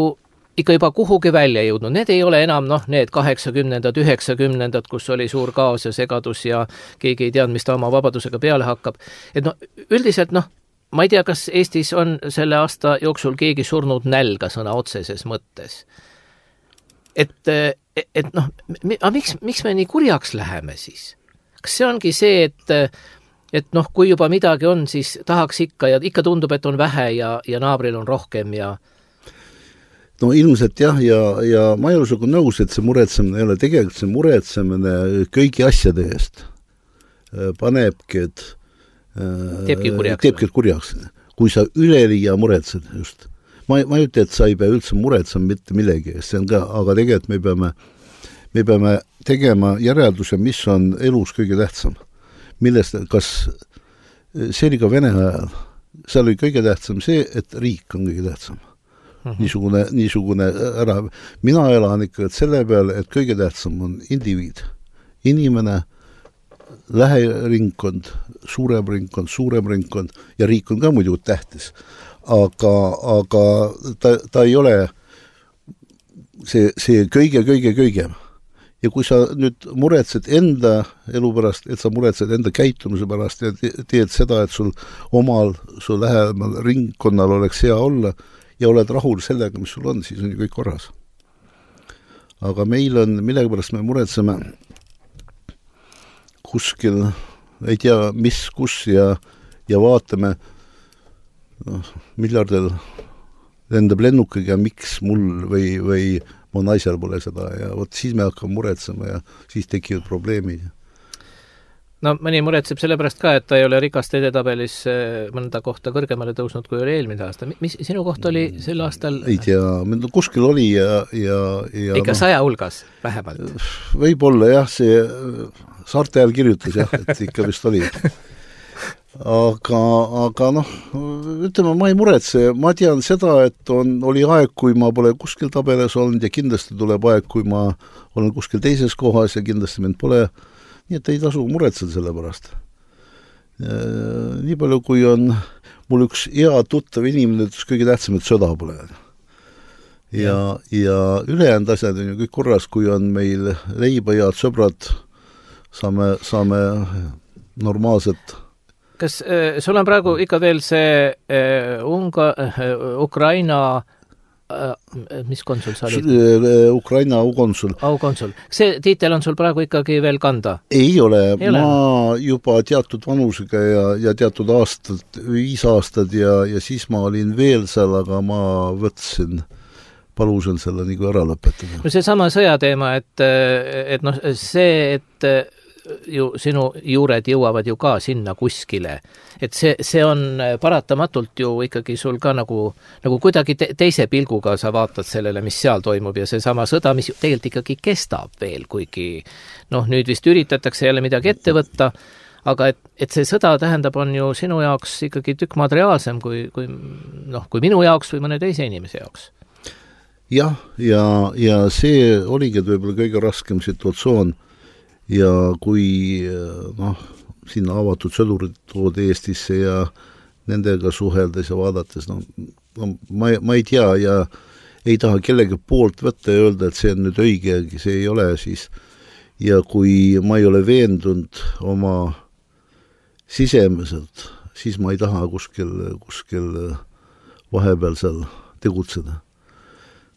ikka juba kuhugi välja jõudnud. Need ei ole enam noh, need kaheksakümnendad, üheksakümnendad, kus oli suur kaos ja segadus ja keegi ei teadnud, mis ta oma vabadusega peale hakkab. Et noh, üldiselt noh, ma ei tea, kas Eestis on selle aasta jooksul keegi surnud nälga sõna otseses mõttes. Et, et noh, aga miks, miks me nii kurjaks läheme siis? Kas see ongi see, et, et noh, kui juba midagi on, siis tahaks ikka ja ikka tundub, et on vähe ja, ja naabril on rohkem ja no ilmselt jah, ja, ja ma ei ole sugu nõus, et see muretsemine ei ole tegelikult see muretsemine kõigi asjade eest panebki, et teebki kurjaks. Teebki kurjaks. Kui sa üleliia muretsed just. Ma, ma ei ütle, et sa ei pea üldse muretsema mitte millegi eest, see on ka, aga tegelikult me peame, me peame tegema järelduse, mis on elus kõige tähtsam. Millest, kas see oli ka Vene ajal, seal oli kõige tähtsam see, et riik on kõige tähtsam. Niisugune, niisugune ära. Mina elan ikka selle peale, et kõige tähtsam on indiviid. Inimene, läheringkond, suurem ringkond, suurem ringkond ja riik on ka muidu tähtis. Aga, aga ta, ta ei ole see, see kõige, kõige, kõige. ja kui sa nüüd muretsed enda elu pärast, et sa muretsed enda käitumise pärast ja teed seda, et sul omal, sul lähemal ringkonnal oleks hea olla ja oled rahul sellega, mis sul on, siis on ju kõik korras. Aga meil on, millega pärast me muretseme kuskil, ei tea, mis, kus ja, ja vaatame, noh, miljardil lendab lennukiga, miks mul või, või mu naisel pole seda ja vot siis me hakkame muretsema ja siis tekivad probleemid. No mõni muretseb sellepärast ka, et ta ei ole rikaste edetabelis mõnda kohta kõrgemale tõusnud, kui oli eelmine aasta. Mis sinu koht oli sel aastal? Ei tea, kuskil oli ja... ja, ja ikka no, saja hulgas vähemalt? Võib-olla jah, see saarte ajal kirjutas jah, et ikka vist oli. Aga, aga noh, ütleme, ma ei muretse, ma tean seda, et on, oli aeg, kui ma pole kuskil tabeles olnud ja kindlasti tuleb aeg, kui ma olen kuskil teises kohas ja kindlasti mind pole, nii et ei tasu muretseda selle pärast. Nii palju, kui on mul üks hea tuttav inimene, ütles kõige tähtsam, et sõda pole. Ja, ja ülejäänud asjad on ju kõik korras, kui on meil leiba ja sõbrad, saame, saame normaalselt. Kas äh, sul on praegu ikka veel see äh, Unga, äh, Ukraina äh, mis konsul sa olid? Ukraina aukonsul. Aukonsul. See tiitel on sul praegu ikkagi veel kanda? Ei ole. Ei ole. Ma juba teatud vanusega ja, ja teatud aastad, viis aastad ja, ja siis ma olin veel seal, aga ma võtsin, palusin selle nagu ära lõpetada. No see sama sõjateema, et, et noh, see, et ju sinu juured jõuavad ju ka sinna kuskile. Et see, see on paratamatult ju ikkagi sul ka nagu, nagu kuidagi te, teise pilguga sa vaatad sellele, mis seal toimub ja see sama sõda, mis tegelikult ikkagi kestab veel, kuigi noh, nüüd vist üritatakse jälle midagi ette võtta, aga et, et see sõda tähendab, on ju sinu jaoks ikkagi tükk materiaalsem kui, kui, noh, kui minu jaoks või mõne teise inimese jaoks. Jah, ja, ja see oligi võib-olla kõige raskem situatsioon. Ja kui noh, sinna avatud sõdurid tood Eestisse ja nendega suheldes ja vaadates, no, no ma, ma ei tea ja ei taha kellegi poolt võtta ja öelda, et see on nüüd õige, see ei ole siis. Ja kui ma ei ole veendunud oma sisemeselt, siis ma ei taha kuskil, kuskil vahepeal seal tegutseda.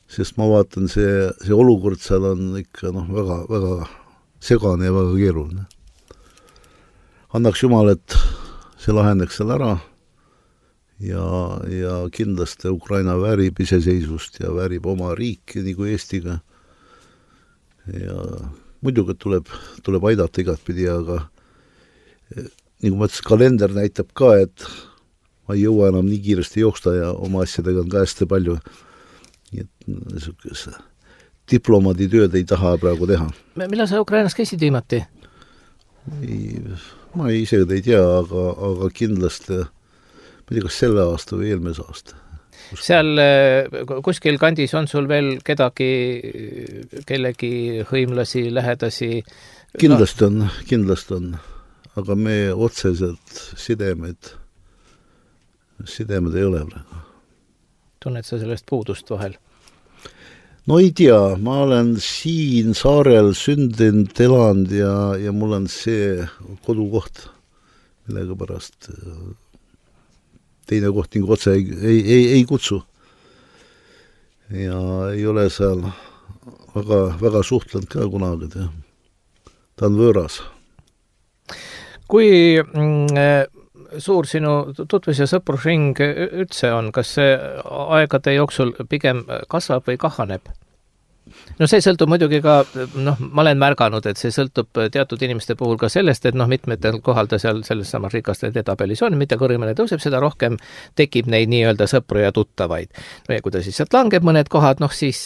Sest ma vaatan, see, see olukord seal on ikka noh, väga, väga segane ja väga keeruline. Annaks Jumal, et see lahendaks seal ära ja, ja kindlasti Ukraina väärib iseseisvust ja väärib oma riiki nagu Eestiga. Ja muidugi tuleb, tuleb aidata igatpidi, aga nagu ma ütlesin, kalender näitab ka, et ma ei jõua enam nii kiiresti jooksta ja oma asjadega on ka hästi palju. Nii et niisugune diplomaadi tööd ei taha praegu teha. Millal sa Ukrainas käisid viimati? Ei, ma ei ise ei tea, aga, aga kindlasti ma ei tea, kas selle aasta või eelmise aasta. Kus... Seal kuskil kandis on sul veel kedagi, kellegi hõimlasi, lähedasi? Kindlasti on, kindlasti on. Aga me otseselt sidemed, sidemed ei ole praegu. Tunned sa sellest puudust vahel? No ei tea, ma olen siin saarel sündinud, elanud ja, ja mul on see kodukoht, millega pärast teine koht nagu otse ei, ei, ei, ei kutsu. Ja ei ole seal väga, väga suhtlenud ka kunagi. Ta on võõras. Kui mm, suur sinu tutvus- ja sõprusring üldse on, kas see aegade jooksul pigem kasvab või kahaneb? No see sõltub muidugi ka, noh, ma olen märganud, et see sõltub teatud inimeste puhul ka sellest, et noh, mitmetel kohal ta seal selles samas rikaste edetabelis on, mitte kõrgemale tõuseb, seda rohkem tekib neid nii-öelda sõpru ja tuttavaid. No ja kui ta siis sealt langeb mõned kohad, noh siis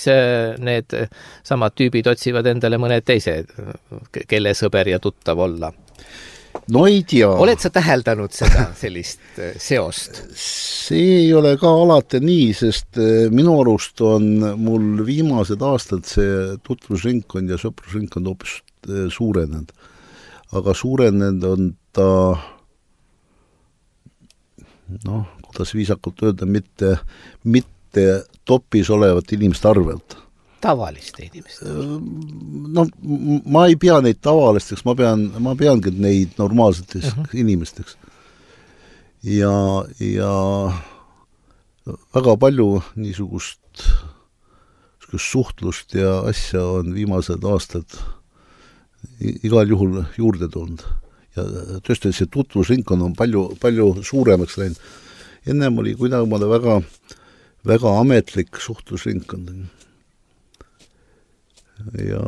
need samad tüübid otsivad endale mõned teised, kelle sõber ja tuttav olla. No ei tea. Oled sa täheldanud seda sellist seost? See ei ole ka alati nii, sest minu arust on mul viimased aastad see tutvusringkond ja sõprusringkond hoopis suurenenud. Aga suurenenud on ta, noh, kuidas viisakalt öelda, mitte, mitte topis olevat inimeste arvelt. tavaliste inimeste? No ma ei pea neid tavalisteks, ma pean, ma peangi neid normaalseteks uh-huh. inimesteks. Ja, ja väga palju niisugust, niisugust suhtlust ja asja on viimased aastad igal juhul juurde tulnud. Ja tõesti see tutvusringkond on palju, palju suuremaks läinud. Ennem oli kuidagi väga, väga ametlik suhtlusringkond. Ja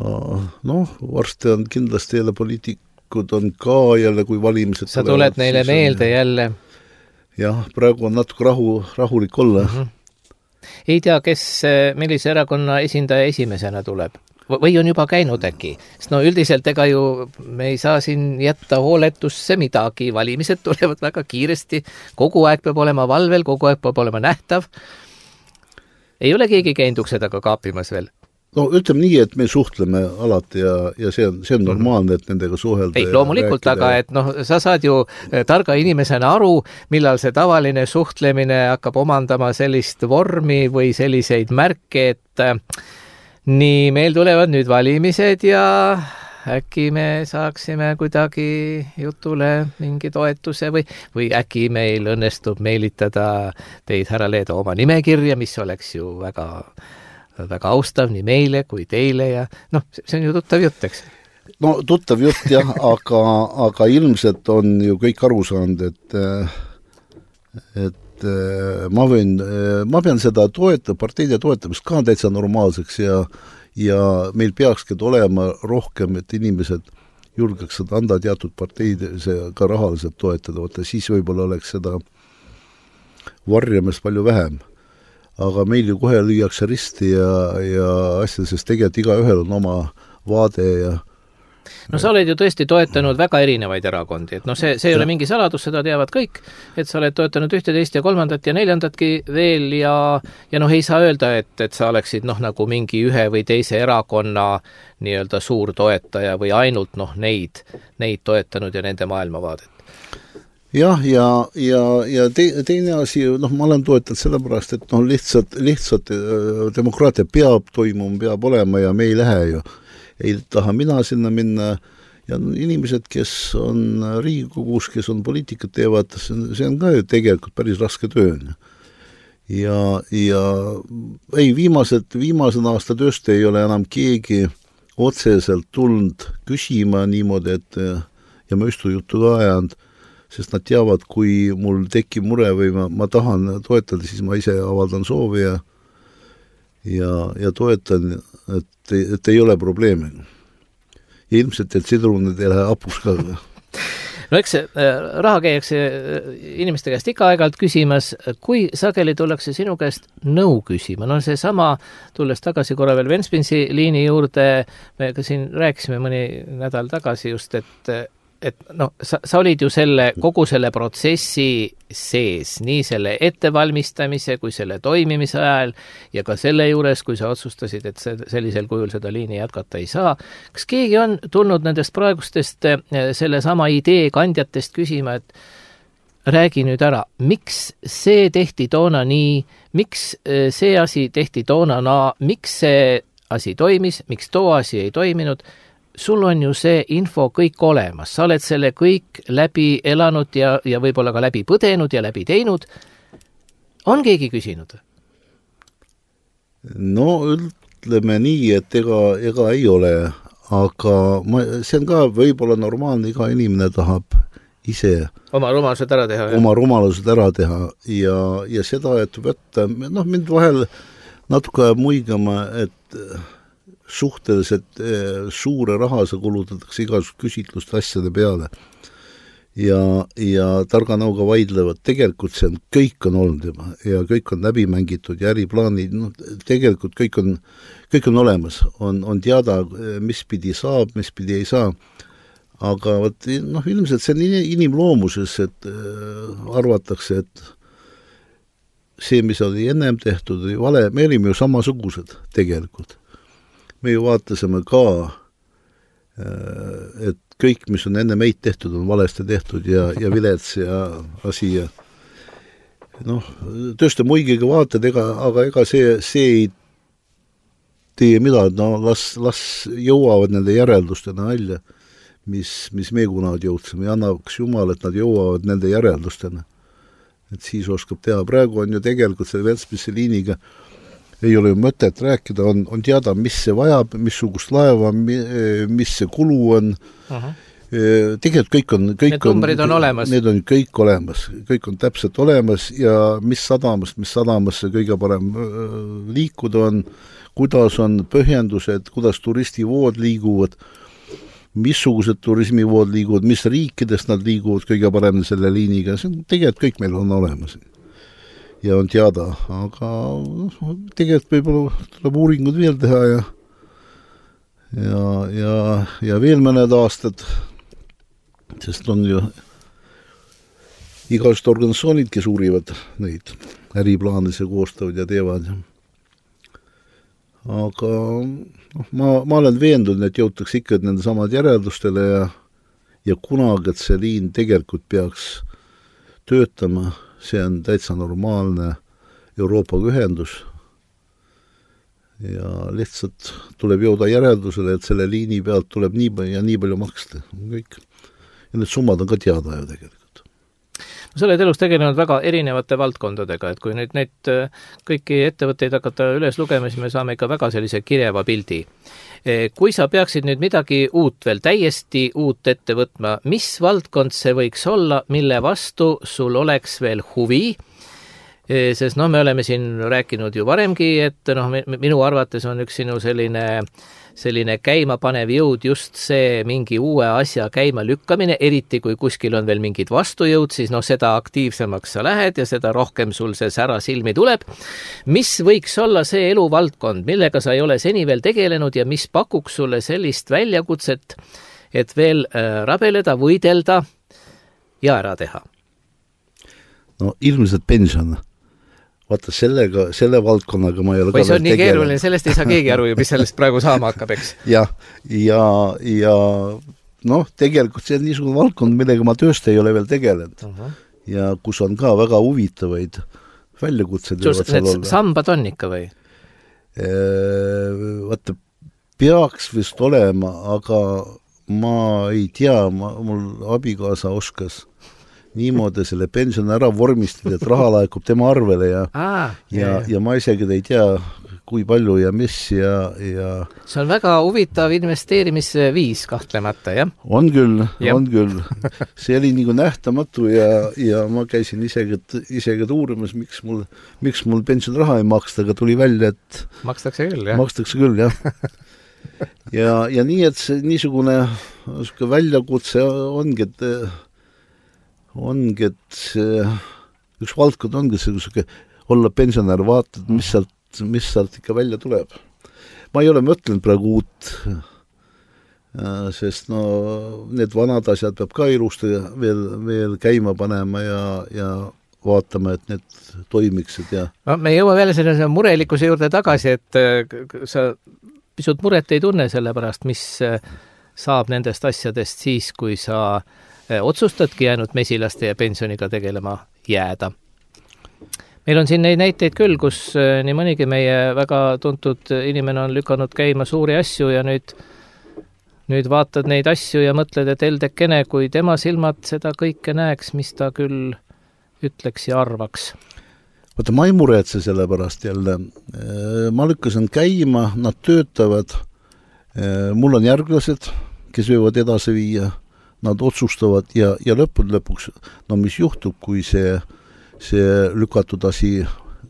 noh, varsti on kindlasti jälle poliitikud on ka jälle, kui valimised sa tuled neile meelde on, jälle. Jah, praegu on natuke rahu, rahulik olla. Mm-hmm. Ei tea, kes, millise erakonna esindaja esimesena tuleb? Või on juba käinud äkki? Sest no üldiselt ega ju me ei saa siin jätta hooletusse midagi, valimised tulevad väga kiiresti, kogu aeg peab olema valvel, kogu aeg peab olema nähtav. Ei ole keegi käinud uksedaga kaapimas veel? No ütleme nii, et me suhtleme alati ja, ja see on, see on normaalne, et nendega suhelda. Ei, loomulikult, aga et noh, sa saad ju targa inimesena aru, millal see tavaline suhtlemine hakkab omandama sellist vormi või selliseid märke, et nii, meil tulevad nüüd valimised ja äkki me saaksime kuidagi jutule mingi toetuse või, või äkki meil õnnestub meelitada teid, härra Leedo, oma nimekirja, mis oleks ju väga, väga austav nii meile kui teile ja noh, see on ju tuttav jutt, eks? No tuttav jutt jah, aga, aga ilmselt on ju kõik aru saanud, et, et ma võin, ma pean seda toeta, parteide toetamist ka täitsa normaalseks ja, ja meil peakski olema rohkem, et inimesed julgeksid anda teatud parteid ka rahaliselt toetada, võtta, siis võib-olla oleks seda varjamist palju vähem. Aga meil ju kohe lüüakse risti ja, ja asja, sest tegelikult iga ühel on oma vaade ja no sa oled ju tõesti toetanud väga erinevaid erakondi, et noh, see, see ei ole mingi saladus, seda teavad kõik, et sa oled toetanud ühte, teist ja kolmandat ja neljandatki veel ja, ja noh, ei saa öelda, et, et sa oleksid noh, nagu mingi ühe või teise erakonna nii-öelda suur toetaja või ainult noh, neid, neid toetanud ja nende maailmavaadet. Jah, ja, ja, ja te, teine asi, noh, ma olen toetanud sellepärast, et noh, lihtsalt, lihtsalt demokraatia peab toimuma, peab olema ja me ei lähe ju. Ei taha mina sinna minna ja inimesed, kes on Riigikogus, kes on poliitikat teevad, see on ka ju tegelikult päris raske töö. Ja, ja ei, viimased, viimased aasta tööst ei ole enam keegi otseselt tulnud küsima niimoodi, et ja ma üstu juttu ka ajanud, sest nad teavad, kui mul tekib mure või ma, ma tahan toetada, siis ma ise avaldan soovi ja ja, ja toetan, et, et ei ole probleemi. Ja ilmselt, et sidrunid ei lähe apus ka. No eks raha käiakse inimeste käest ikka aegalt küsimas, kui sageli tullakse sinu käest nõu küsima. No see sama, tulles tagasi korra veel Ventspilsi liini juurde, me ka siin rääkisime mõni nädal tagasi just, et et no, sa, sa olid ju selle, kogu selle protsessi sees, nii selle ettevalmistamise kui selle toimimise ajal ja ka selle juures, kui sa otsustasid, et see, sellisel kujul seda liini jätkata ei saa. Kas keegi on tulnud nendest praegustest selle sama idee kandjatest küsima, et räägi nüüd ära, miks see tehti toona nii, miks see asi tehti toona naa, miks see asi toimis, miks too asi ei toiminud? Sul on ju see info kõik olemas, sa oled selle kõik läbi elanud ja, ja võib-olla ka läbi põdenud ja läbi teinud. On keegi küsinud? No ütleme nii, et ega, ega ei ole, aga ma, see on ka võib-olla normaalne, iga inimene tahab ise oma rumalused ära teha. Oma rumalused ära teha ja, ja seda, et võtta, noh, mind vahel natuke muigama, et suhteliselt suure raha sa kulutatakse igasugust küsitluste asjade peale ja, ja targa nõuga vaidlevad, tegelikult see on, kõik on olnud juba ja kõik on läbi mängitud ja äriplaanid, no, tegelikult kõik on, kõik on olemas, on, on teada, mis pidi saab, mis pidi ei saa, aga võt, noh, ilmselt see on inimloomuses, et äh, arvatakse, et see, mis oli ennem tehtud, oli vale, me olime ju samasugused tegelikult. Me ju vaatasime ka, et kõik, mis on enne meid tehtud, on valesti tehtud ja, ja vilets ja asi ja noh, tõesti muigiga vaatad, ega, aga ega see, see ei tee mida, no las, las jõuavad nende järeldustena välja, mis, mis me kunagi jõudsime ja annaks Jumal, et nad jõuavad nende järeldustena. Et siis oskab teha. Praegu on ju tegelikult selle Ventspilsi liiniga ei ole ju mõtet rääkida, on, on teada, mis see vajab, missugust laeva, mis see kulu on. Uh-huh. Tegelikult kõik on... Kõik need numbrid on, on olemas. Need on kõik olemas. Kõik on täpselt olemas ja mis sadamast, mis sadamasse kõige parem liikuda on, kuidas on põhjendused, kuidas turistivood liiguvad, missugused turismivood liiguvad, mis riikidest nad liiguvad kõige parem selle liiniga. See on tegelikult kõik meil on olemas. Ja on teada, aga tegelikult võib-olla tuleb uuringud veel teha ja ja, ja, ja veel mõned aastad, sest on ju igasugused organisatsioonid, kes uurivad neid äriplaanis ja koostavad ja teevad. Aga noh, ma, ma olen veendunud, et jõutaks ikka nende samad järeldustele ja, ja kunagi, et see liin tegelikult peaks töötama. See on täitsa normaalne Euroopa ühendus ja lihtsalt tuleb jõuda järeldusele, et selle liini pealt tuleb nii palju ja nii palju maksta. Kõik. Ja need summad on ka teada ju tegelikult. Sa oled elus tegelenud väga erinevate valdkondadega, et kui nüüd neid kõiki ettevõtteid hakata üles lugema, siis me saame ikka väga sellise kirjava pildi. Kui sa peaksid nüüd midagi uut veel, täiesti uut ette võtma, mis valdkond see võiks olla, mille vastu sul oleks veel huvi? Sest no, me oleme siin rääkinud ju varemgi, et no, minu arvates on üks sinu selline, selline käimapanev jõud just see mingi uue asja käima lükkamine, eriti kui kuskil on veel mingid vastujõud, siis no seda aktiivsemaks sa lähed ja seda rohkem sul see sära silmi tuleb. Mis võiks olla see eluvaldkond, millega sa ei ole seni veel tegelenud ja mis pakuks sulle sellist väljakutset, et veel rabeleda, võidelda ja ära teha? No ilmselt pension. Vaata, sellega, selle valdkonnaga ma ei ole või see on nii keeruline, sellest ei saa keegi aru ju, mis sellest praegu saama hakkab, eks? Ja, ja, ja noh, tegelikult see on niisugune valdkond, millega ma tööst ei ole veel tegelenud. Uh-huh. Ja kus on ka väga huvitavaid väljakutsed. Sus, need sambad on ikka või? Vaata, peaks vist olema, aga ma ei tea, ma, mul abikaasa oskas niimoodi selle pensioni ära vormistada, et raha laekub tema arvele ja, Aa, ja, ja ma isegi ei tea, kui palju ja mis ja, ja... See on väga huvitav investeerimisviis kahtlemata, jah? On küll, ja. on küll. See oli nagu nähtamatu ja, ja ma käisin isegi, isegi uurimas, miks mul, miks mul pensioni raha ei maksta, aga tuli välja, et... Makstakse küll, jah? Makstakse küll, jah. ja, ja nii, et see niisugune väljakutse ongi, et ongi, et see, üks valdkond ongi see, olla pensionär, vaatad, mis sealt, mis sealt ikka välja tuleb. Ma ei ole mõtlenud praegu uut, sest no, need vanad asjad peab ka ilusti veel, veel käima panema ja, ja vaatama, et need toimiksid. Ja... No, me jõuame veel selle murelikkuse juurde tagasi, et sa pisut muret ei tunne selle pärast, mis saab nendest asjadest siis, kui sa otsustadki jäänud mesilaste ja pensioniga tegelema jääda. Meil on siin neid näiteid küll, kus nii mõnigi meie väga tuntud inimene on lükanud käima suuri asju ja nüüd, nüüd vaatad neid asju ja mõtled, et eldekene, kui tema silmad seda kõike näeks, mis ta küll ütleks ja arvaks. Vaata, ma ei muretse selle pärast jälle. Ma lükkasin käima, nad töötavad. Mul on järglased, kes võivad edasi viia. Nad otsustavad ja, ja lõpud lõpuks, no mis juhtub, kui see, see lükatud asi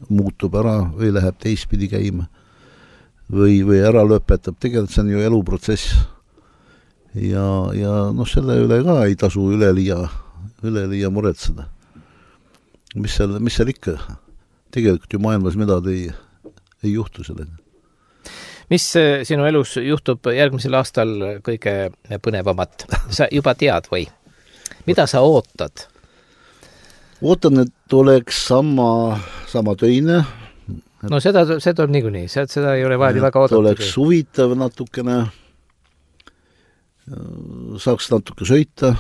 muutub ära või läheb teistpidi käima või, või ära lõpetab. Tegelikult see on ju eluprotsess. Ja, ja noh, selle üle ka ei tasu üleliia, üleliia muretseda. Mis seal, mis seal ikka? Tegelikult ju maailmas midagi ei, ei juhtu sellega. Mis sinu elus juhtub järgmisel aastal kõige põnevamat? Sa juba tead või? Mida sa ootad? Ootan, et oleks sama, sama töine. Et no seda, seda on niikuinii, seda ei ole vaja väga oodata. Oleks huvitav natukene, saaks natuke sõita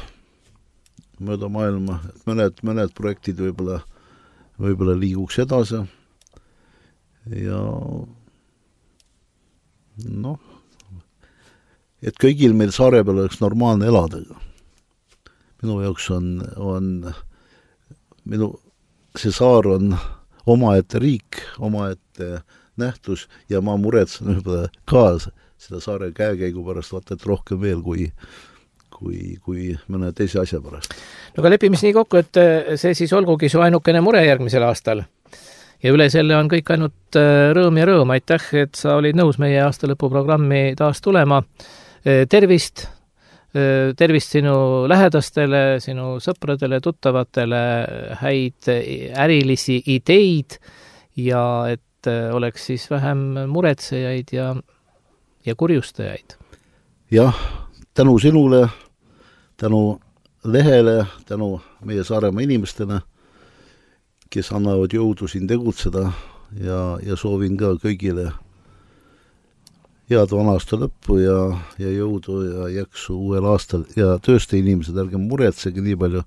mööda maailma, et mõned, mõned projektid võib-olla, võib-olla liiguks edasi ja noh, et kõigil meil saare peal oleks normaalne elada. Minu jaoks on, on minu, see saar on omaette riik, omaette nähtus ja ma muretsen juba ka seda saare käekäigu pärast vaata, et rohkem veel kui, kui, kui mõne teise asja pärast. No aga lepime nii kokku, et see siis olgugi su ainukene mure järgmisel aastal. Ja üle selle on kõik ainult rõõm ja rõõm. Aitäh, et sa olid nõus meie aastalõpuprogrammi taas tulema. Tervist, tervist sinu lähedastele, sinu sõpradele, tuttavatele, häid ärilisi ideid ja et oleks siis vähem muretsejaid ja, ja kurjustajaid. Jah, tänu sinule, tänu lehele, tänu meie Saaremaa inimestele, kes annavad jõudu siin tegutseda ja, ja soovin ka kõigile head vana aasta lõppu ja, ja jõudu ja jaksu uuel aastal ja tööste inimesed, ärge muretsege nii palju,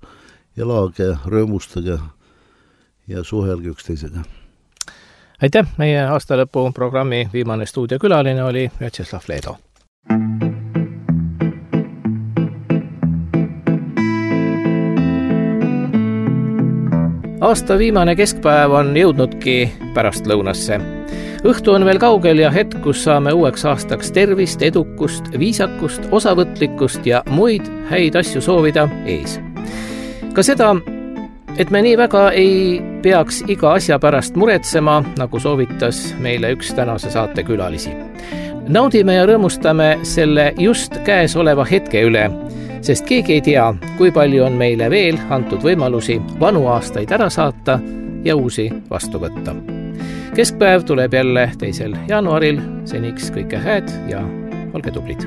elage, rõõmustage ja suhelge üksteisega. Aitäh, meie aastalõpu programmi viimane stuudiokülaline oli Vjatšeslav Leedo. Aasta viimane keskpäev on jõudnudki pärast lõunasse. Õhtu on veel kaugel ja hetk, kus saame uueks aastaks tervist, edukust, viisakust, osavõtlikkust ja muid häid asju soovida ees. Ka seda, et me nii väga ei peaks iga asja pärast muretsema, nagu soovitas meile üks tänase saate külalisi. Naudime ja rõõmustame selle just käes oleva hetke üle, sest keegi ei tea, kui palju on meile veel antud võimalusi vanu aastaid ära saata ja uusi vastu võtta. Keskpäev tuleb jälle teisel jaanuaril, seniks kõike hääd ja olge tublid!